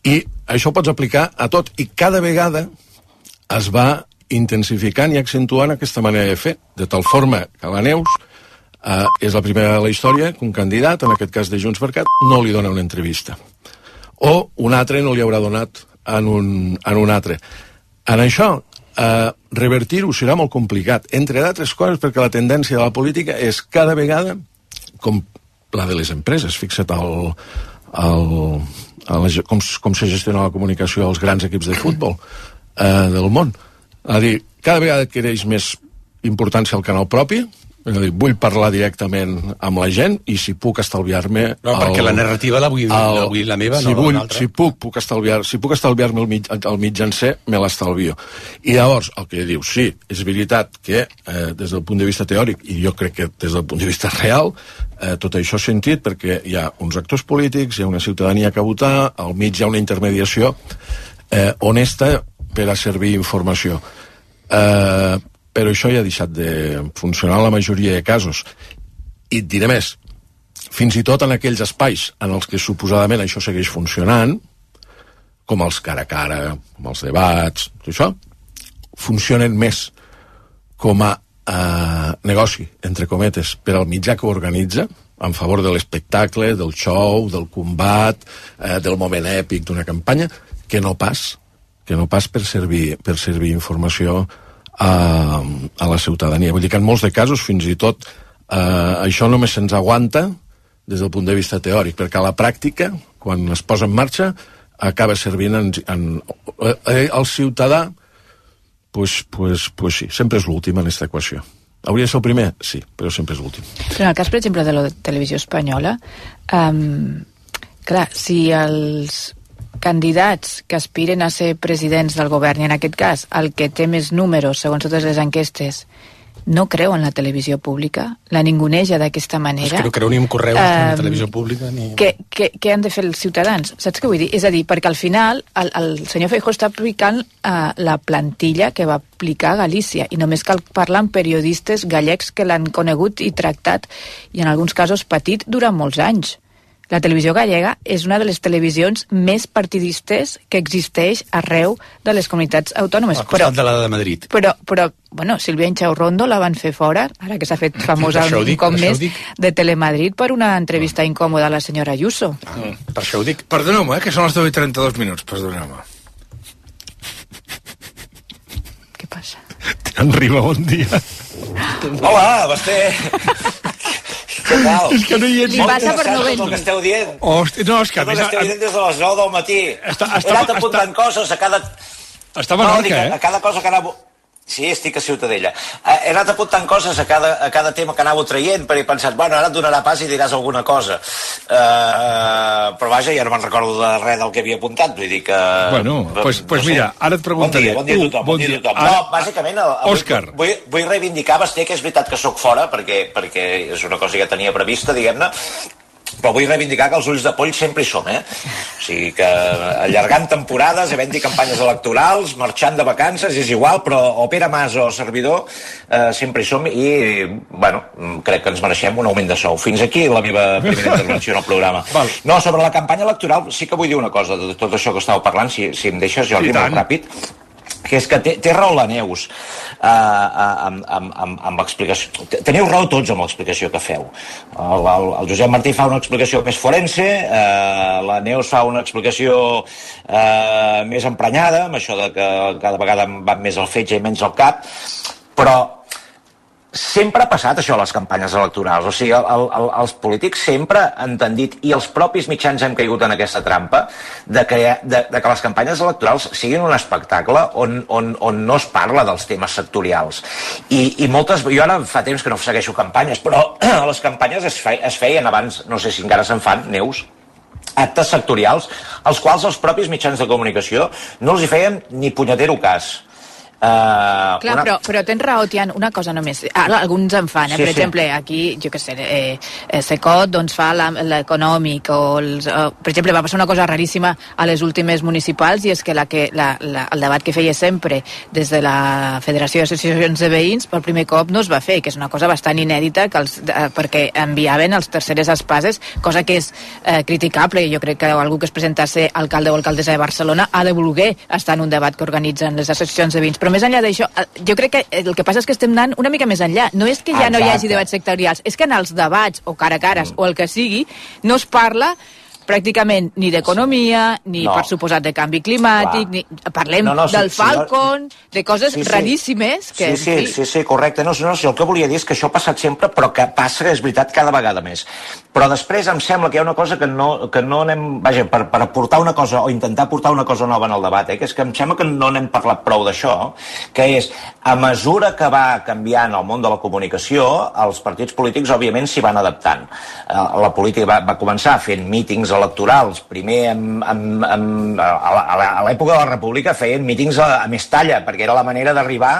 I això ho pots aplicar a tot, i cada vegada es va intensificant i accentuant aquesta manera de fer, de tal forma que la Neus eh, és la primera de la història que un candidat, en aquest cas de Junts per Cat, no li dona una entrevista. O un altre no li haurà donat en un, en un altre. En això, eh, revertir-ho serà molt complicat, entre d'altres coses perquè la tendència de la política és cada vegada, com la de les empreses, fixa't el, el, el, com, com se gestiona la comunicació als grans equips de futbol eh, del món. És a dir, cada vegada adquireix més importància el canal propi, és a dir, vull parlar directament amb la gent i si puc estalviar-me... No, el, perquè la narrativa la vull, el, la, vull la meva, si no vull, l'altra. Si puc, puc estalviar, si puc estalviar-me el, mig, el mitjancer, me l'estalvio. I llavors, el que diu, sí, és veritat que eh, des del punt de vista teòric, i jo crec que des del punt de vista real, eh, tot això és sentit perquè hi ha uns actors polítics, hi ha una ciutadania que votar, al mig hi ha una intermediació eh, honesta per a servir informació. Eh, però això ja ha deixat de funcionar en la majoria de casos. I et diré més, fins i tot en aquells espais en els que suposadament això segueix funcionant, com els cara a cara, com els debats, tot això, funcionen més com a eh, negoci, entre cometes, per al mitjà que ho organitza, en favor de l'espectacle, del show, del combat, eh, del moment èpic d'una campanya, que no pas que no pas per servir, per servir informació a, a la ciutadania. Vull dir que en molts de casos, fins i tot, eh, això només se'ns aguanta des del punt de vista teòric, perquè a la pràctica, quan es posa en marxa, acaba servint en, en, eh, el ciutadà, pues, pues, pues sí, sempre és l'últim en aquesta equació. Hauria de ser el primer? Sí, però sempre és l'últim. En el cas, per exemple, de la televisió espanyola, um, clar, si els candidats que aspiren a ser presidents del govern, i en aquest cas el que té més números, segons totes les enquestes, no creu en la televisió pública, la ninguneja d'aquesta manera... És que no creu ni en correus, um, ni en televisió pública, ni... Què, què, què han de fer els ciutadans? Saps què vull dir? És a dir, perquè al final el, el senyor Feijóo està aplicant uh, la plantilla que va aplicar a Galícia, i només cal parlar amb periodistes gallecs que l'han conegut i tractat, i en alguns casos patit durant molts anys. La televisió gallega és una de les televisions més partidistes que existeix arreu de les comunitats autònomes. Al costat però, de la de Madrid. Però, però bueno, Sílvia Inchaurrondo la van fer fora, ara que s'ha fet famosa un dic, cop més, de Telemadrid per una entrevista ah. incòmoda a la senyora Ayuso. Ah, per això ho dic. Perdoneu-me, eh, que són les deu i trenta-dos minuts, perdoneu-me. Què passa? En Riba, bon dia. Hola, Basté. Què tal? És que no hi ets... Li passa per no venir. El que esteu dient. Hosti, no, és que... Tot el que esteu dient des de les nou del matí. Està, està, He anat apuntant està, coses a cada... Està a Menorca, no, eh? A cada cosa que anava... Sí, estic a Ciutadella. He anat apuntant coses a cada, a cada tema que anava traient, perquè he pensat, bueno, ara et donarà pas i diràs alguna cosa. Uh, uh, però vaja, ja no me'n recordo de res del que havia apuntat, vull dir que... Bueno, doncs pues, pues no sé. Mira, ara et preguntaré... Bon dia, bon dia a tothom, bon, bon dia a tothom. Ara... No, bàsicament... El, el, Òscar. Vull, vull reivindicar, Basté, que és veritat que sóc fora, perquè, perquè és una cosa que tenia prevista, diguem-ne, però vull reivindicar que els ulls de poll sempre hi som, eh? O sigui que allargant temporades, havent-hi campanyes electorals, marxant de vacances, és igual, però o Pere Mas o servidor eh, sempre hi som i, bueno, crec que ens mereixem un augment de sou. Fins aquí la meva primera intervenció en el programa. Val. No, sobre la campanya electoral sí que vull dir una cosa de tot això que estàveu parlant, si, si em deixes, Jordi, molt ràpid, que és que té, té raó la Neus uh, amb, amb, amb, amb l'explicació. Teniu raó tots amb l'explicació que feu. El, el, el Josep Martí fa una explicació més forense, uh, la Neus fa una explicació uh, més emprenyada, amb això de que cada vegada van més al fetge i menys al cap, però sempre ha passat això a les campanyes electorals. O sigui, el, el, els polítics sempre han tendit, i els propis mitjans hem caigut en aquesta trampa, de, crear, de, de que les campanyes electorals siguin un espectacle on, on, on no es parla dels temes sectorials. I, i moltes... Jo ara fa temps que no segueixo campanyes, però a les campanyes es, fe, es feien abans, no sé si encara se'n fan, Neus, actes sectorials, als quals els propis mitjans de comunicació no els hi feien ni punyetero cas. Uh, Clar, una... però, però tens raó, Tian, una cosa només. Ara, alguns en fan, eh? Sí, per sí. exemple, aquí, jo què sé, eh, eh, Secot doncs, fa l'econòmic, o, els, o per exemple, va passar una cosa raríssima a les últimes municipals, i és que, la que la, la, el debat que feia sempre des de la Federació d'Associacions de Veïns, per primer cop no es va fer, que és una cosa bastant inèdita, que els, eh, perquè enviaven els terceres espases, cosa que és eh, criticable, i jo crec que algú que es presentà a ser alcalde o alcaldessa de Barcelona ha de voler estar en un debat que organitzen les associacions de veïns, però més enllà d'això, jo crec que el que passa és que estem anant una mica més enllà. No és que ja Exacte. no hi hagi debats sectorials, és que en els debats, o cara a cares, mm. o el que sigui, no es parla pràcticament ni d'economia, ni no. per suposat de canvi climàtic, ni... parlem no, no, sí, del Falcon, sí, de coses sí, sí. raríssimes. Que, sí, sí, sí, sí, correcte. No, no, sí, el que volia dir és que això ha passat sempre, però que passa, és veritat, cada vegada més. Però després em sembla que hi ha una cosa que no, que no anem... Vaja, per, per aportar una cosa, o intentar portar una cosa nova en el debat, eh, que és que em sembla que no n'hem parlat prou d'això, que és, a mesura que va canviant el món de la comunicació, els partits polítics, òbviament, s'hi van adaptant. La política va, va començar fent mítings electorals, primer amb, amb, amb, a l'època de la República feien mítings a, a més talla, perquè era la manera d'arribar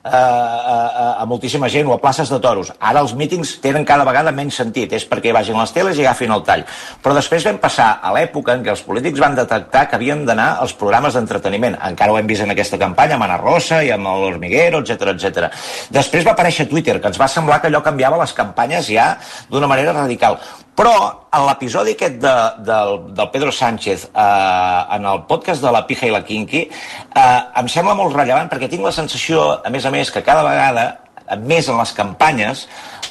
a, a, a moltíssima gent, o a places de toros. Ara els mítings tenen cada vegada menys sentit, és perquè vagin les teles i agafin el tall. Però després vam passar a l'època en què els polítics van detectar que havien d'anar als programes d'entreteniment. Encara ho hem vist en aquesta campanya, amb Ana Rosa i amb l'Hormiguero, etcètera, etcètera. Després va aparèixer Twitter, que ens va semblar que allò canviava les campanyes ja d'una manera radical. Però, en l'episodi aquest de, del, del Pedro Sánchez, eh, en el podcast de la Pija i la Kinky, eh, em sembla molt rellevant perquè tinc la sensació, a més a més, que cada vegada, més en les campanyes,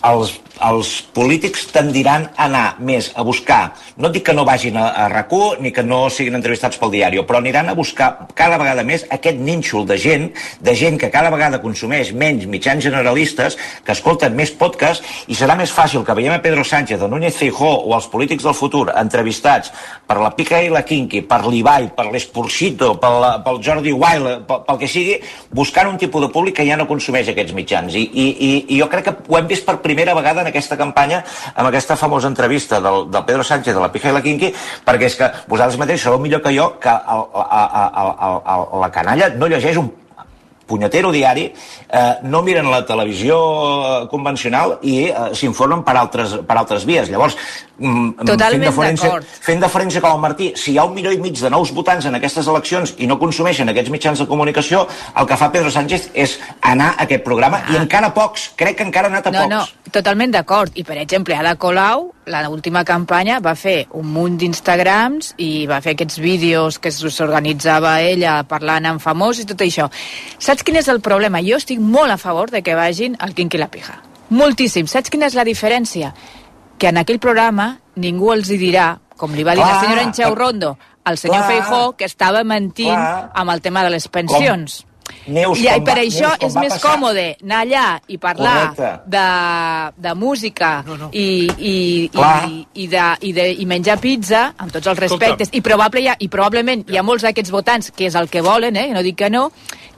els, els polítics tendiran a anar més a buscar, no dic que no vagin a, a RAC u ni que no siguin entrevistats pel diari, però aniran a buscar cada vegada més aquest nínxol de gent, de gent que cada vegada consumeix menys mitjans generalistes, que escolten més podcast, i serà més fàcil que veiem a Pedro Sánchez, a Núñez Feijóo o als polítics del futur entrevistats per la Pica i la Kinky, per l'Ibai, per l'Esporcito, pel, pel Jordi Wild, pel, pel que sigui, buscant un tipus de públic que ja no consumeix aquests mitjans. I, i, i, i jo crec que ho hem vist per primera vegada en aquesta campanya, amb aquesta famosa entrevista del, del Pedro Sánchez de la Pija i la Kinky, perquè és que vosaltres mateix sabeu millor que jo que el, el, el, el, el, la canalla no llegeix un punyetero diari, eh, no miren la televisió convencional i eh, s'informen per altres, per altres vies. Llavors, mm, fent, deferència, fent deferència com el Martí, si hi ha un milió i mig de nous votants en aquestes eleccions i no consumeixen aquests mitjans de comunicació, el que fa Pedro Sánchez és anar a aquest programa, ah. i encara pocs, crec que encara ha anat a no, pocs. No, totalment d'acord. I, per exemple, Ada Colau, la última campanya, va fer un munt d'Instagrams i va fer aquests vídeos que s'organitzava ella parlant amb famosos i tot això. Saps quin és el problema? Jo estic molt a favor de que vagin al Kinky i la Pija. Moltíssim. Saps quina és la diferència? Que en aquell programa ningú els hi dirà, com li va dir clar, la senyora Enxeu Rondo, al senyor clar, Feijóo, que estava mentint clar, amb el tema de les pensions. Com? Neus, I per va, això Neus, és més passar. còmode anar allà i parlar de, de música no, no. I, i, i, i, de, i, de, i menjar pizza, amb tots els respectes, i, probable, i probablement hi ha molts d'aquests votants, que és el que volen, eh, no dic que no,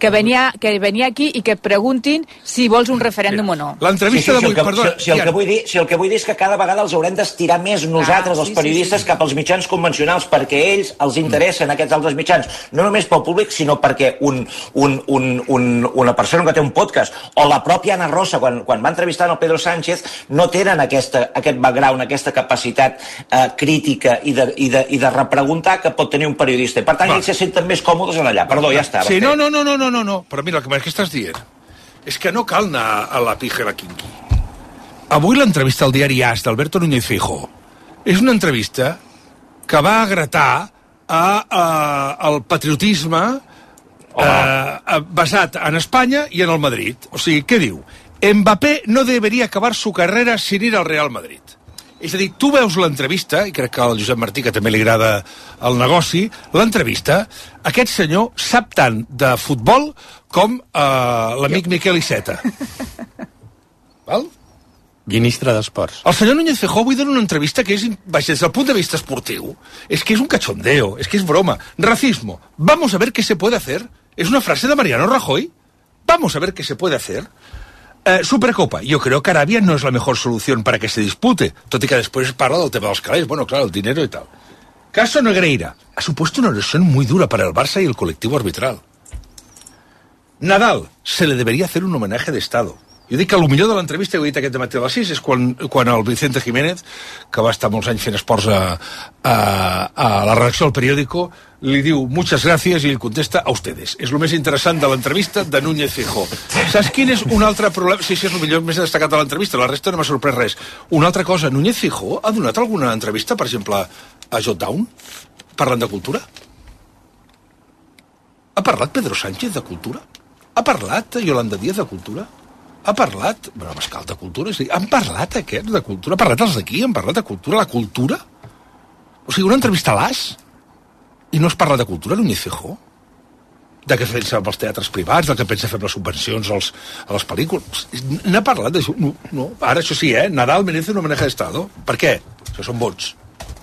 que venia, que venia aquí i que preguntin si vols un referèndum Mira, o no. L'entrevista sí, sí, d'avui, si perdó. Si, si, el que vull dir, si el que vull dir és que cada vegada els haurem d'estirar més nosaltres, ah, sí, els periodistes, sí, sí, sí. cap als mitjans convencionals, perquè ells els interessen mm. aquests altres mitjans, no només pel públic, sinó perquè un, un, un, un, una persona que té un podcast, o la pròpia Ana Rosa, quan, quan va entrevistar el Pedro Sánchez, no tenen aquesta, aquest background, aquesta capacitat eh, crítica i de, i, de, i de repreguntar que pot tenir un periodista. I per tant, Va. ells se senten més còmodes en allà. Perdó, ja està. Sí, no, no, no, no, no, no, no. Però mira, el que estàs dient és que no cal anar a la Pija i la Kinky. Avui l'entrevista al diari As d'Alberto Núñez Feijóo és una entrevista que va agratar a, a, al patriotisme oh. eh, basat en Espanya i en el Madrid. O sigui, què diu? Mbappé no debería acabar su carrera sin ir al Real Madrid. És a dir, tu veus l'entrevista, i crec que al Josep Martí, que també li agrada el negoci, l'entrevista, aquest senyor sap tant de futbol com eh, l'amic Miquel Iceta. Val? Ministre d'Esports. El senyor Núñez Feijóo avui dona una entrevista que és, des del punt de vista esportiu, és que és un cachondeo, és que és broma. Racismo. Vamos a ver qué se puede hacer. Es una frase de Mariano Rajoy. Vamos a ver qué se puede hacer. Eh, Supercopa. Yo creo que Arabia no es la mejor solución para que se dispute. Tot i que después parla del tema de los calés. Bueno, claro, el dinero y tal. Caso Negreira. Ha supuesto una erosión muy dura para el Barça y el colectivo arbitral. Nadal. Se le debería hacer un homenaje de Estado. Jo dic que el millor de l'entrevista, he dit aquest dematí a les sis, és quan, quan el Vicente Jiménez, que va estar molts anys fent esports a, a, a la redacció del periòdico, li diu muchas gracias i ell contesta a ustedes. És el més interessant de l'entrevista de Núñez Feijóo. Saps quin és un altre problema? Sí, sí, és el millor més destacat de l'entrevista, la resta no m'ha sorprès res. Una altra cosa, Núñez Feijóo ha donat alguna entrevista, per exemple, a Jotdown, parlant de cultura? Ha parlat Pedro Sánchez de cultura? Ha parlat Yolanda Díaz de cultura? Ha parlat... Bueno, Pascal, de cultura? Sí. Han parlat aquests de cultura? Han parlat els d'aquí? Han parlat de cultura? La cultura? O sigui, una entrevista a l'As i no es parla de cultura, Núñez Feijóo? De què pensa amb els teatres privats, del que pensa fer les subvencions als, a les pel·lícules. N'ha parlat d'això? No, no. Ara, això sí, eh? Nadal merece una maneja d'estado. Per què? Això són vots.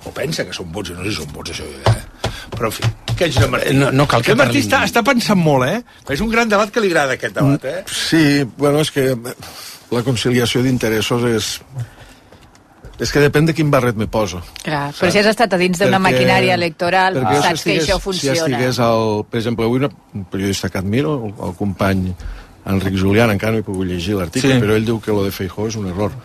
O pensa que són vots, i no sé si són vots, això, eh? Però, en fi, què ets de Martí? No, no cal que el Martí parlin... està, està pensant molt, eh? És un gran debat que li agrada, aquest debat, eh? Sí, bueno, és que la conciliació d'interessos és... És que depèn de quin barret me poso. Clar, però si has estat a dins d'una maquinària electoral, ah. saps si que això funciona. Si estigués, el, per exemple, avui un periodista que admiro, el, el company Enric Julián, encara no he pogut llegir l'article, sí. Però ell diu que lo de Feijóo és un error.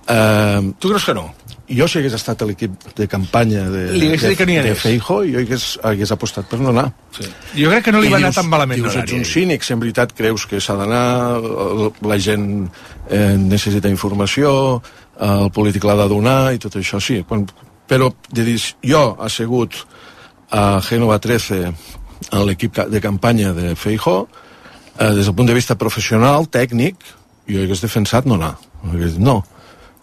Uh, tu creus que no? Jo, si hagués estat a l'equip de campanya de, de, de Feijóo, jo hagués, hagués apostat per no anar. Sí. Jo crec que no li I va dius, anar tan malament. Dius, ets un cínic, si en veritat creus que s'ha d'anar, la gent eh, necessita informació, el polític l'ha de donar i tot això, sí. Quan, però de dir, jo he assegut a Génova trece, a l'equip de campanya de Feijóo, eh, des del punt de vista professional, tècnic, jo hagués defensat no anar. Hagués dit, no,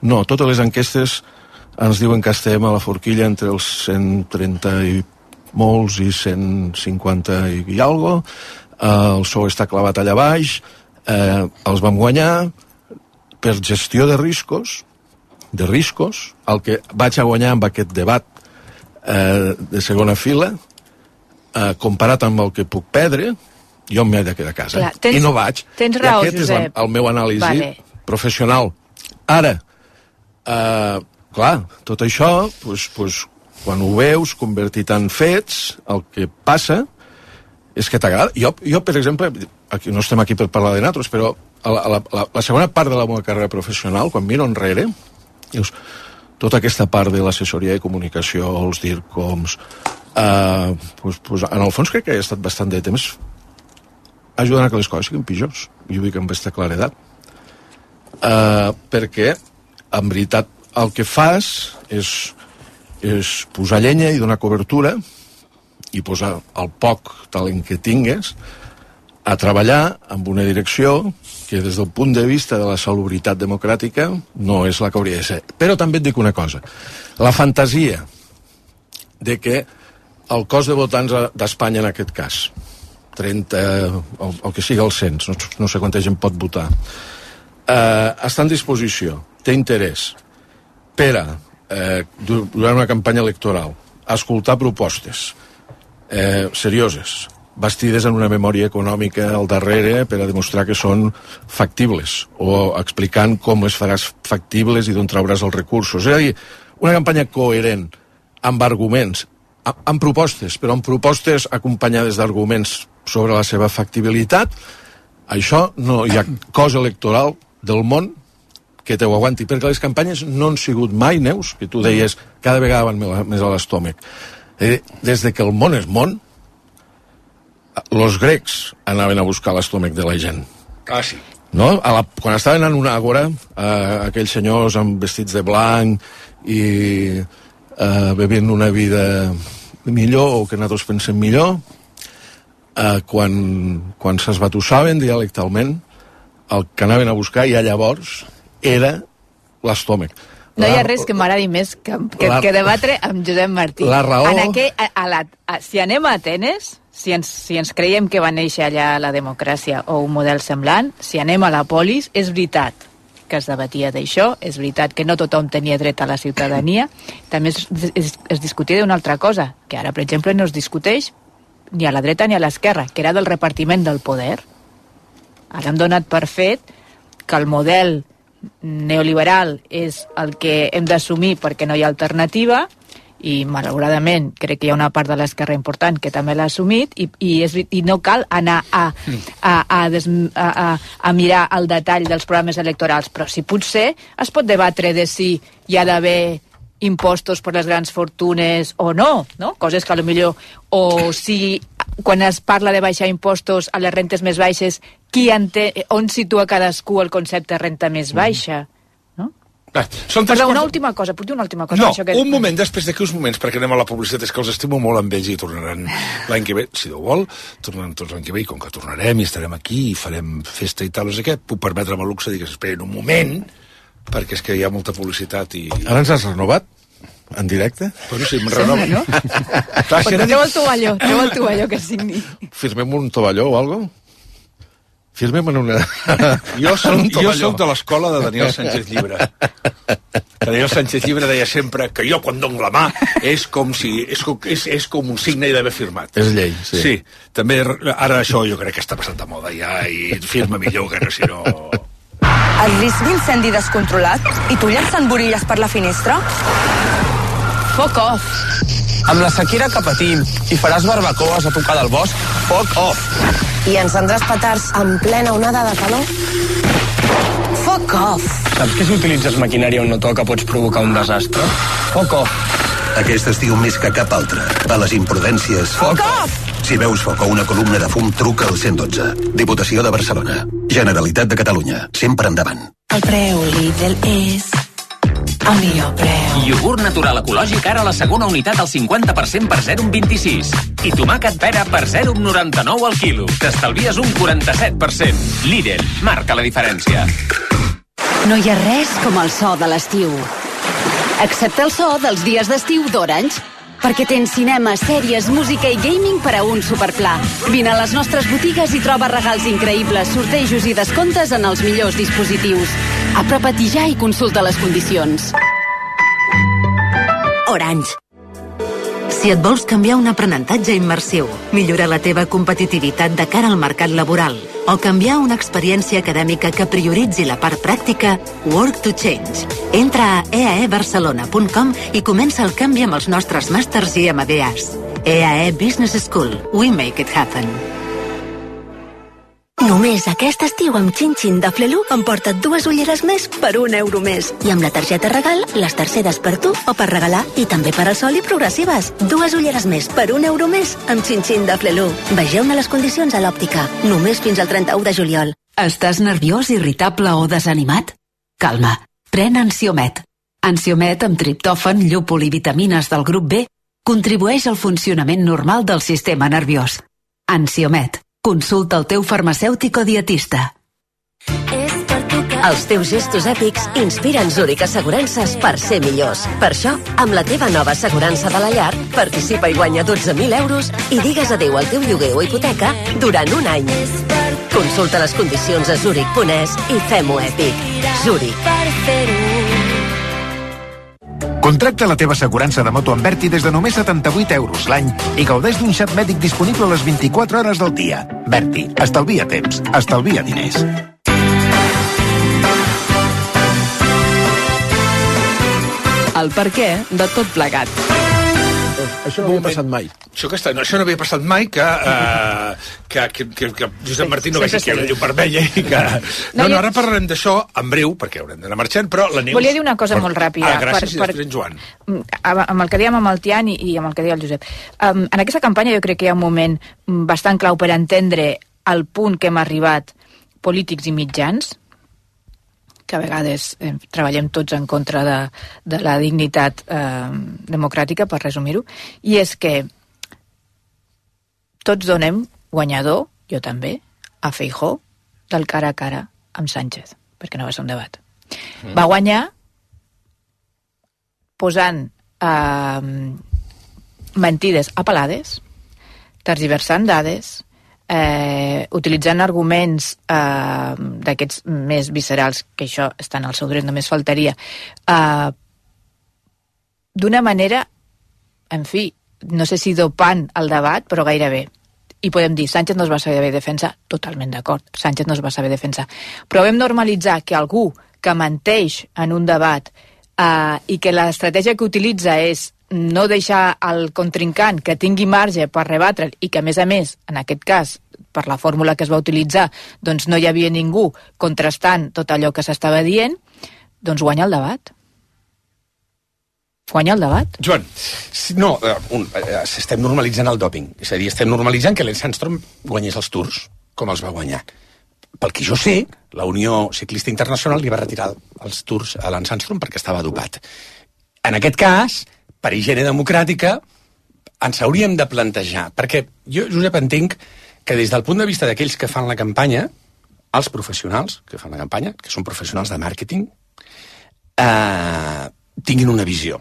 no, totes les enquestes ens diuen que estem a la forquilla entre els cent trenta i molts i cent cinquanta i, i algo, eh, el P S O E està clavat allà baix, eh, els vam guanyar per gestió de riscos, de riscos, el que vaig a guanyar amb aquest debat eh, de segona fila, eh, comparat amb el que puc perdre, jo m'he de quedar a casa. Clar, tens, I no vaig. Tens raó, I aquest Josep. és el, el meu anàlisi vale. professional. Ara, eh, clar, tot això, pues, pues, quan ho veus convertit en fets, el que passa és que t'agrada. Jo, jo, per exemple, aquí, no estem aquí per parlar de nosaltres, però la, la, la, la segona part de la meva carrera professional, quan miro enrere, dius, tota aquesta part de l'assessoria de comunicació, els DIRCOMs, eh, pues, pues, en el fons crec que he estat bastant de temps ajudant a que les coses siguin pitjors. Jo ho dic amb aquesta claredat. Eh, perquè, en veritat, el que fas és, és posar llenya i donar cobertura i posar el poc talent que tingues a treballar amb una direcció que des del punt de vista de la salubritat democràtica no és la que hauria de ser. Però també et dic una cosa. La fantasia de que el cos de votants d'Espanya en aquest cas, trenta, el, el que sigui el cens, no, no sé quanta gent pot votar, eh, està en disposició, té interès per a, eh, durant una campanya electoral, escoltar propostes eh, serioses, bastides en una memòria econòmica al darrere per a demostrar que són factibles, o explicant com les faràs factibles i d'on trauràs els recursos. És a dir, una campanya coherent, amb arguments, amb propostes, però amb propostes acompanyades d'arguments sobre la seva factibilitat. Això no hi ha cos electoral del món que te ho aguanti, perquè les campanyes no han sigut mai, Neus, que tu deies cada vegada van més a l'estómac. Eh, des de que el món és món, els grecs anaven a buscar l'estómac de la gent. Ah, sí. No? A la, quan estaven en una àgora, eh, aquells senyors amb vestits de blanc i eh, bevint una vida millor, o que nosaltres pensem millor, eh, quan, quan s'esbatussaven dialectalment, el que anaven a buscar ja llavors era l'estómac. No hi ha res que m'agradi més que, que, la, que debatre amb Josep Martí. La raó... En aquell, a, a la, a, si anem a Atenes, si ens, si ens creiem que va néixer allà la democràcia o un model semblant, si anem a la polis, és veritat que es debatia d'això, és veritat que no tothom tenia dret a la ciutadania, també es, es, es discutia d'una altra cosa, que ara, per exemple, no es discuteix ni a la dreta ni a l'esquerra, que era del repartiment del poder. Ara hem donat per fet que el model neoliberal és el que hem d'assumir perquè no hi ha alternativa, i malauradament crec que hi ha una part de l'esquerra important que també l'ha assumit, i, i, és, i no cal anar a, a, a, des, a, a, a mirar el detall dels programes electorals, però si potser es pot debatre de si hi ha d'haver impostos per les grans fortunes o no, no? Coses que potser, o si quan es parla de baixar impostos a les rentes més baixes, qui ente, on situa cadascú el concepte de renta més baixa, no? Va, són Perdó, una coses... última cosa, puc dir una última cosa? No, això que... un moment, després d'aquí uns moments, perquè anem a la publicitat, és que els estimo molt amb ells i tornaran l'any que ve, si Déu vol, tornaran tots l'any que ve, i com que tornarem i estarem aquí i farem festa i tal, no sé què, puc permetre'm el luxe de dir que s'esperin un moment, perquè és que hi ha molta publicitat i... Ara ens has renovat? En directe? Bueno, sí, em renovo. No? Clar, si treu el tovalló, treu el tovalló que signi. Firmem un tovalló o alguna cosa? Firmem en una... Jo soc, jo soc de l'escola de Daniel Sánchez Llibre. Daniel Sánchez Llibre deia sempre que jo quan dono la mà és com si és, és, és com un signe i d'haver firmat. És llei, sí. Sí, també ara això jo crec que està passat de moda ja i firma millor que no, si no... El risc d'incendi descontrolat i tu llançant borilles per la finestra? Fuck off. Amb la sequera que patim i faràs barbacoes a tocar del bosc, fuck off. I encendràs petards en plena onada de calor? Fuck off. Saps que si utilitzes maquinària on no toca pots provocar un desastre? Fuck off. Aquest estiu més que cap altre. A les imprudències... Fuck off! Si veus foc o una columna de fum, truca al cent dotze. Diputació de Barcelona. Generalitat de Catalunya. Sempre endavant. El preu Lidl és... el millor preu. Iogurt natural ecològic ara a la segona unitat al cinquanta per cent per zero coma vint-i-sis. I tomàquet pera per zero coma noranta-nou al quilo. T'estalvies un quaranta-set per cent. Lidl, marca la diferència. No hi ha res com el so de l'estiu. Excepte el so dels dies d'estiu d'Orange. Perquè tens cinema, sèries, música i gaming per a un superpla. Vine a les nostres botigues i troba regals increïbles, sortejos i descomptes en els millors dispositius. Apropa-t'hi ja i consulta les condicions. Orange. Si et vols canviar un aprenentatge immersiu, millorar la teva competitivitat de cara al mercat laboral o canviar una experiència acadèmica que prioritzi la part pràctica, Work to Change. Entra a e a e barcelona punt com i comença el canvi amb els nostres màsters i M B As. E A E Business School. We make it happen. Només aquest estiu amb Chin-Chin de Flelu emporta't dues ulleres més per un euro més. I amb la targeta regal, les terceres per tu o per regalar. I també per al sol i progressives. Dues ulleres més per un euro més amb Chin-Chin de Flelu. Vegeu-ne les condicions a l'òptica. Només fins al trenta-u de juliol. Estàs nerviós, irritable o desanimat? Calma, pren Ansiomet. Ansiomet amb triptòfan, llúpol i vitamines del grup B contribueix al funcionament normal del sistema nerviós. Ansiomet. Consulta el teu farmacèutic o dietista. Els teus gestos èpics inspiren Zurich Assegurances per ser millors. Per això, amb la teva nova assegurança de la llar, participa i guanya dotze mil euros i digues adéu al teu lloguer o hipoteca durant un any. Consulta les condicions a zurich punt es i fem-ho èpic. Zurich. Contracta la teva assegurança de moto amb Berti des de només setanta-vuit euros l'any i gaudeix d'un xat mèdic disponible a les vint-i-quatre hores del dia. Berti, estalvia temps, estalvia diners. El perquè de tot plegat. Això no havia passat mai. Això, que està, no, això no havia passat mai, que, uh, que, que, que, que Josep Martí no vegi que hi ha una llum vermella i que... No, no, ara parlarem d'això en breu, perquè haurem d'anar marxant, però la Neus... Volia dir una cosa per... molt ràpida. Ah, gràcies, per, per... i després en Joan. Amb el que dèiem amb el Tian i, i amb el que deia el Josep. Um, en aquesta campanya jo crec que hi ha un moment bastant clau per entendre el punt que hem arribat polítics i mitjans, que a vegades eh, treballem tots en contra de, de la dignitat eh, democràtica, per resumir-ho, i és que tots donem guanyador, jo també, a Feijóo, del cara a cara amb Sánchez, perquè no va ser un debat. Mm. Va guanyar posant eh, mentides apel·lades, tergiversant dades, Eh, utilitzant arguments eh, d'aquests més viscerals, que això està en el seu dret, només faltaria, eh, d'una manera, en fi, no sé si dopant el debat, però gairebé. I podem dir, Sánchez no es va saber defensar, totalment d'acord, Sánchez no es va saber defensar. Però vam normalitzar que algú que menteix en un debat eh, i que l'estratègia que utilitza és no deixar al contrincant que tingui marge per rebatre'l i que, a més a més, en aquest cas, per la fórmula que es va utilitzar, doncs no hi havia ningú contrastant tot allò que s'estava dient, doncs guanya el debat. Guanya el debat. Joan. No, un, estem normalitzant el dòping. És a dir, estem normalitzant que Lance Armstrong guanyés els Tours, com els va guanyar. pel que jo sé, la Unió Ciclista Internacional li va retirar els tours a Lance Armstrong perquè estava dopat. En aquest cas, per higiene democràtica, ens hauríem de plantejar, perquè jo, Josep, entenc que des del punt de vista d'aquells que fan la campanya, els professionals que fan la campanya, que són professionals de màrqueting, eh, tinguin una visió.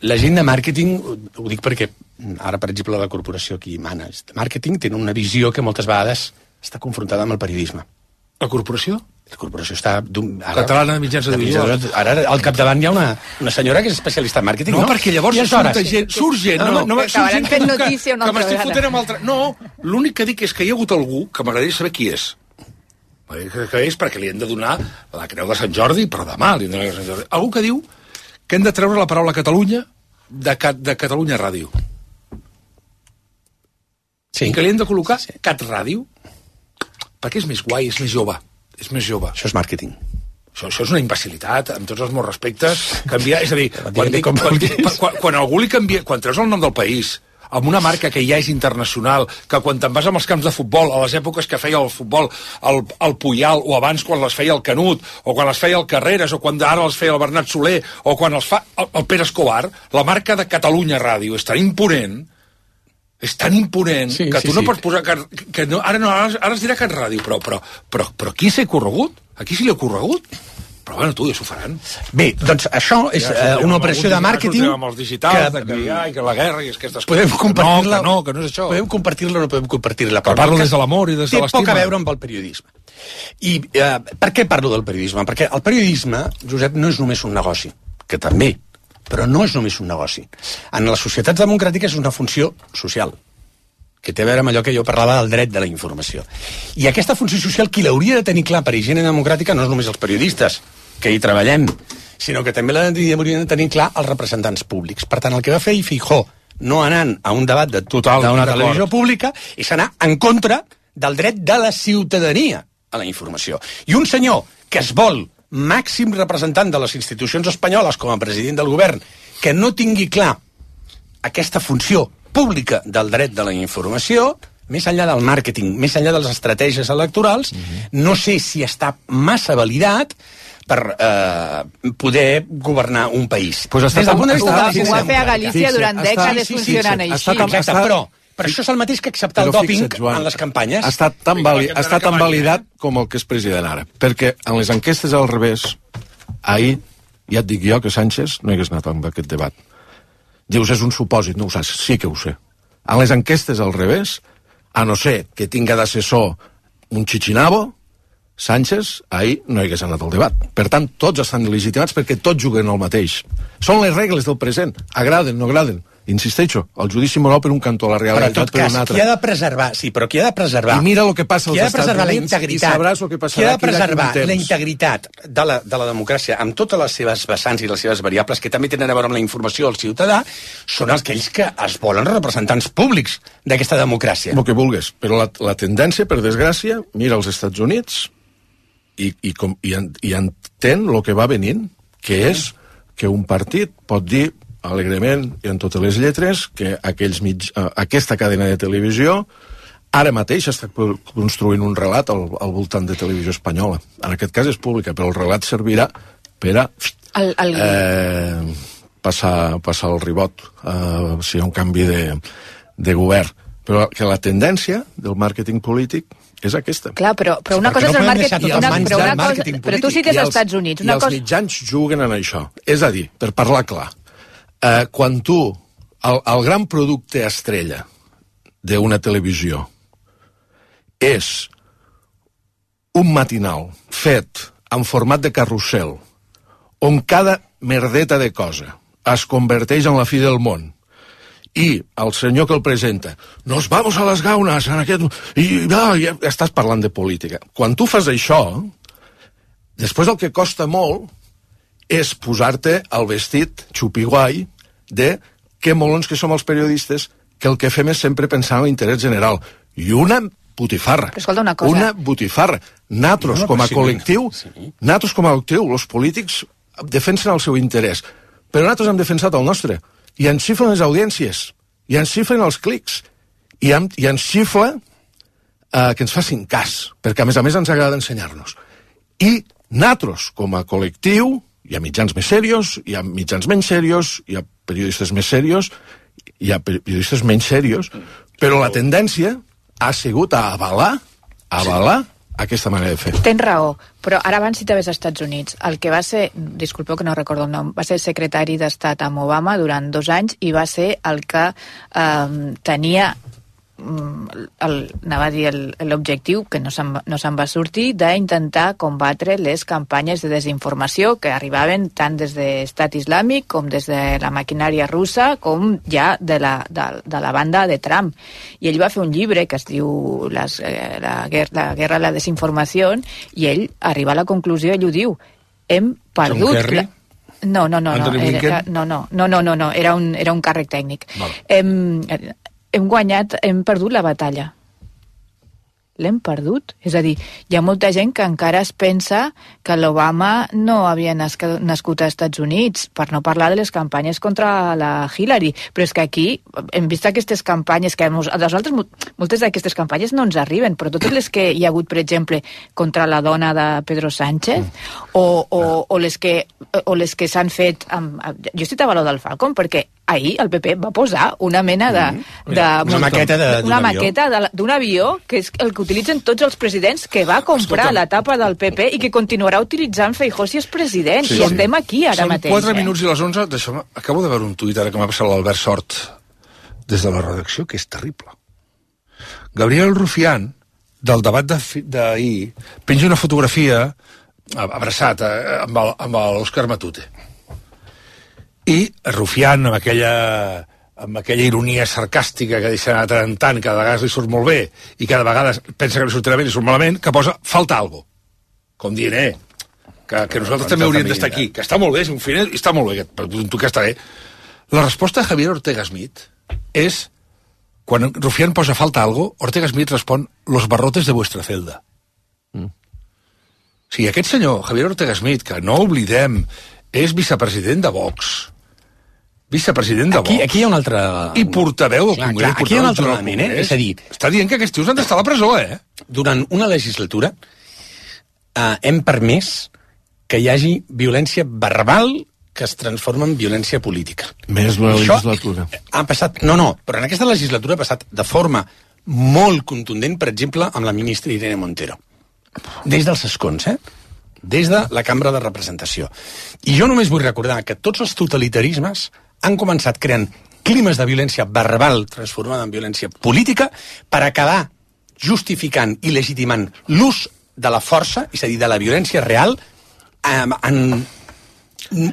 La gent de màrqueting, ho dic perquè ara, per exemple, la corporació que hi mana de màrqueting té una visió que moltes vegades està confrontada amb el periodisme. La corporació? La corporació està... Catalana de mitjans audiovisuals. Ara al capdavant hi ha una, una senyora que és especialista en màrqueting, no? No, perquè llavors surt gent, surt gent. No, no, que acabaran fent notícia una altra vegada. Fotent amb altra... No, l'únic que dic és que hi ha hagut algú que m'agradaria saber qui és. Que és perquè li hem de donar la creu de Sant Jordi per demà. Li hem de donar la creu de Sant Jordi. Algú que diu que hem de treure la paraula Catalunya de, de Catalunya Ràdio. Sí. I que li hem de col·locar sí. Cat Ràdio, perquè és més guai, és més jove. És més jove. Això és màrqueting. Això, això és una imbecilitat, amb tots els meus respectes. Canviar, és a dir, quan, quan, quan, quan, quan algú li canvia... Quan treus el nom del país, amb una marca que ja és internacional, que quan te'n vas amb els camps de futbol, a les èpoques que feia el futbol el, el Puyal, o abans quan les feia el Canut, o quan les feia el Carreras, o quan ara les feia el Bernat Soler, o quan els fa el, el Pere Escobar, la marca de Catalunya Ràdio és tan imponent, és tan imponent, sí, que tu sí, no sí. pots posar... Que, que no, ara, no, ara, ara es dirà Cat Ràdio, però, però, però, però qui s'ha corregut? A qui se li ha corregut? Però bueno, tu, ja s'ho faran. Bé, doncs això és ja, uh, una operació de màrqueting... Ja amb els digitals, que, que, ja, que la guerra i aquestes podem coses. Compartir-la, no, que no, que no és això. Podem compartir-la o no podem compartir-la. Però parlo des de l'amor i des de l'estima. Té poc a veure amb el periodisme. I uh, per què parlo del periodisme? Perquè el periodisme, Josep, no és només un negoci, que també, però no és només un negoci. En les societats democràtiques és una funció social, que té a veure amb allò que jo parlava del dret de la informació. I aquesta funció social, qui l'hauria de tenir clar per higiene democràtica no és només els periodistes, que hi treballem, sinó que també l'haurien de tenir clar els representants públics. Per tant, el que va fer Feijóo, no anant a un debat de total d'una televisió pública, és anar en contra del dret de la ciutadania a la informació. I un senyor que es vol màxim representant de les institucions espanyoles com a president del govern, que no tingui clar aquesta funció pública del dret de la informació, més enllà del màrqueting, més enllà de les estratègies electorals, uh-huh. no sé si està massa validat per eh, poder governar un país. Pues Des del punt de vista... Ho va fer a Galícia durant dècades funcionant així. Exacte, però, però això és el mateix que acceptar el dòping en les campanyes. Ha estat tan, vali, ha estat tan validat com el que és president ara. Perquè en les enquestes al revés, ahir ja et dic jo que Sánchez no hagués anat amb aquest debat. Dius, és un supòsit, no ho saps? Sí que ho sé. En les enquestes al revés, a no ser que tinga d'assessor un xichinabo, Sánchez ahir no hagués anat al debat. Per tant, tots estan legitimats perquè tots juguen el mateix. Són les regles del present. Agraden, no agraden. Insisteixo, el judici moral per un cantó, la realitat per un altre. Qui ha de preservar, sí, però qui ha de preservar... I mira el que passa als Estats Units i sabràs el que passarà. Qui ha de preservar la integritat de la, de la democràcia amb totes les seves vessants i les seves variables que també tenen a veure amb la informació del ciutadà són aquells que es volen representants públics d'aquesta democràcia. El que vulguis, però la, la tendència, per desgràcia, mira els Estats Units i, i, com, i, i entén el que va venint, que és que un partit pot dir alegrement i en totes les lletres que aquells mig, uh, aquesta cadena de televisió ara mateix està construint un relat al, al voltant de televisió espanyola. En aquest cas és pública, però el relat servirà per a el, el... Eh, passar, passar el ribot uh, si hi ha un canvi de, de govern. Però que la tendència del màrqueting polític és aquesta. Clar, però, però una cosa no és el màrqueting, una, però, una cosa, però tu cites als Estats Units. Una I els cosa... mitjans juguen en això. És a dir, per parlar clar, eh, quan tu, el, el gran producte estrella d'una televisió és un matinal fet en format de carrusel on cada merdeta de cosa es converteix en la fi del món i el senyor que el presenta nos vamos a les gaunes en aquest... i ah, ja estàs parlant de política. Quan tu fas això, després el que costa molt és posar-te el vestit xupiguai de que molons que som els periodistes, que el que fem és sempre pensar en l'interès general. I una botifarra. Però escolta una cosa. Una botifarra. Natros, com a col·lectiu, sí. Natros com a col·lectiu, els polítics defensen el seu interès. Però nosaltres hem defensat el nostre. I ens xifren les audiències, i ens xifren els clics, i, en, i ens xifla eh, que ens facin cas, perquè a més a més ens agrada ensenyar-nos. I nosaltres, com a col·lectiu, hi ha mitjans més serios, hi ha mitjans menys serios, hi ha periodistes més serios, hi ha periodistes menys serios, però la tendència ha sigut a avalar, a avalar aquesta manera de fer. Tens raó, però ara abans citaves als Estats Units. El que va ser, disculpeu que no recordo el nom, va ser secretari d'Estat amb Obama durant dos anys i va ser el que eh, tenia el, anava a dir l'objectiu, que no se'n no se'n va sortir, d'intentar combatre les campanyes de desinformació que arribaven tant des de l'Estat Islàmic com des de la maquinària russa com ja de la, de, de la banda de Trump. I ell va fer un llibre que es diu les, eh, la, guerra, la guerra a la desinformació i ell arriba a la conclusió, ell ho diu, hem perdut... No, no, no, no, era, no, no, no, no, no, no, era un, era un càrrec tècnic. Hem, hem guanyat, hem perdut la batalla. L'hem perdut. És a dir, hi ha molta gent que encara es pensa que l'Obama no havia nascut als Estats Units, per no parlar de les campanyes contra la Hillary. Però és que aquí hem vist aquestes campanyes, que a nosaltres moltes d'aquestes campanyes no ens arriben, però totes les que hi ha hagut, per exemple, contra la dona de Pedro Sánchez, o, o, o les que, o les que s'han fet... Amb, jo citava lo del Falcon, perquè ahir el P P va posar una mena de... de una maqueta d'un maqueta d'un avió, que és el que utilitzen tots els presidents, que va comprar Escolta. la tapa del P P i que continuarà utilitzant Feijóo si és president. Sí, I sí. estem aquí ara Són mateix. Són quatre eh? minuts i les onze. Deixa'm, acabo de veure un tuit ara que m'ha passat l'Albert Sort des de la redacció, que és terrible. Gabriel Rufián, del debat d'ahir, penja una fotografia abraçat eh, amb l'Òscar Matute. I Rufián, amb aquella, amb aquella ironia sarcàstica que deixa anar tant en tant, cada vegada li surt molt bé, i cada vegada pensa que li sortirà bé i surt malament, que posa falta algo. Com dient, eh, que, que nosaltres també hauríem d'estar aquí, que està molt bé, és un final, i està molt bé, però tu que està bé. La resposta de Javier Ortega Smith és, quan Rufián posa falta algo, Ortega Smith respon, los barrotes de vuestra celda. Mm. O sigui, aquest senyor, Javier Ortega Smith, que no oblidem, és vicepresident de Vox, vicepresident de aquí, Vox. Aquí hi ha un altre... I portaveu del clar, Congrés. Clar, aquí hi ha un altre element, eh? És a dir... Està dient que aquests tios han d'estar a la presó, eh? Durant una legislatura eh, hem permès que hi hagi violència verbal que es transforma en violència política. Més d'una legislatura. Ha passat... No, no, però en aquesta legislatura ha passat de forma molt contundent, per exemple, amb la ministra Irene Montero. Des dels escons, eh? Des de la Cambra de Representació. I jo només vull recordar que tots els totalitarismes han començat creant climes de violència verbal transformada en violència política per acabar justificant i legitimant l'ús de la força, és a dir, de la violència real, en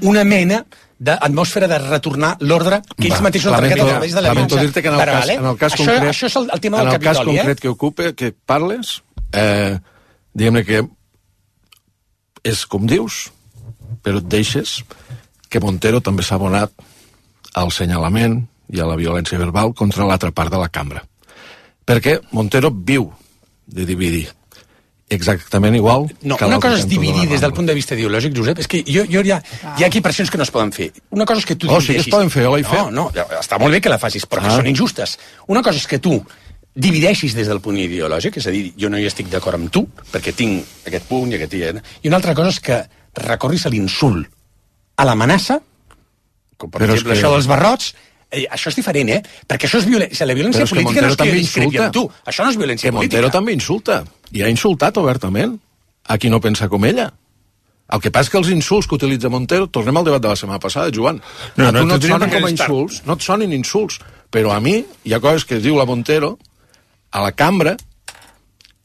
una mena d'atmosfera de retornar l'ordre que ells mateixos han trencat a través de la violència. Lamento dir-te que en el cas, en el cas això, concret, això és el, el tema del Capitoli, Capitoli, eh? En el cas concret que ocupa, que parles, eh, diguem-ne que és com dius, però et deixes que Montero també s'ha abonat al senyalament i a la violència verbal contra l'altra part de la cambra. Perquè Montero viu de dividir exactament igual no, que una cosa és de dividir des del punt de vista ideològic, Josep, és que jo, jo hi, ha, hi ha equipacions que no es poden fer. Una cosa és que tu oh, sí que es poden fer, jo l'he fet. No, no, està molt bé que la facis, però ah. que són injustes. Una cosa és que tu divideixis des del punt ideològic, és a dir, jo no hi estic d'acord amb tu, perquè tinc aquest punt i aquest... I una altra cosa és que recorris a l'insult, a l'amenaça, com per Però exemple que... això dels barrots, eh, això és diferent, eh? Perquè això és violència. La violència política no és que discrepi amb tu. Això no és violència que política. Montero també insulta, i ha insultat obertament a qui no pensa com ella. El que passa és que els insults que utilitza Montero, tornem al debat de la setmana passada, Joan, no, a tu no, no et sonen com a insults, no et sonen insults, però a mi hi ha coses que es diu la Montero a la cambra,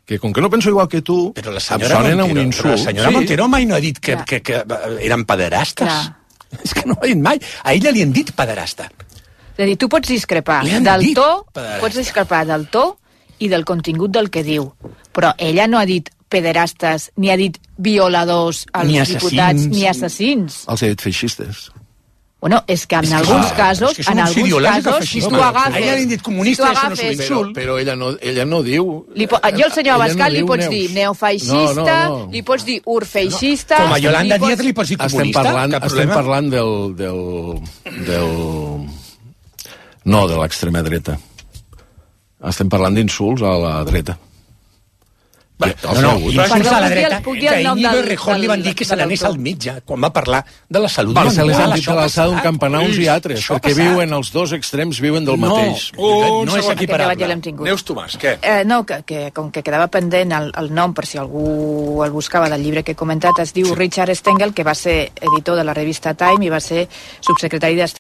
que com que no penso igual que tu, però la em sonen a un insult. Però la senyora sí. Montero mai no ha dit que, que, que eren pederastes. Clar. És que no ho ha dit mai. A ella li han dit pederasta. És a dir, tu pots discrepar del to, pots discrepar del to i del contingut del que diu, però ella no ha dit pederastes, ni ha dit violadors als ni diputats, ni assassins. Els ha dit feixistes. Bueno, és que en és que alguns clar, casos, és que en alguns casos, si tu agafes... Ella li han dit comunista, si tu agafes... Però, però ella, no, ella no diu... Li po... Jo al senyor Abascal no li pots neus. dir neofeixista, no, no, no. li pots dir urfeixista... Com a Yolanda Díaz li pots dir comunista, estem parlant, estem parlant del, del, del... No, de l'extrema dreta. Estem parlant d'insults a la dreta. No, no, i va a la dreta que Íñigo Errejón li van dir que se n'anés al metge quan va parlar de la salut. Va, se les han dit de l'alçada d'un campanar uns i altres, perquè viuen, els dos extrems viuen del mateix. No, no és equiparable. Neus Tomàs, què? Eh, no, que, que com que quedava pendent el, el nom, per si algú el buscava del llibre que he comentat, es diu Richard Stengel, que va ser editor de la revista Time i va ser subsecretari d'Estat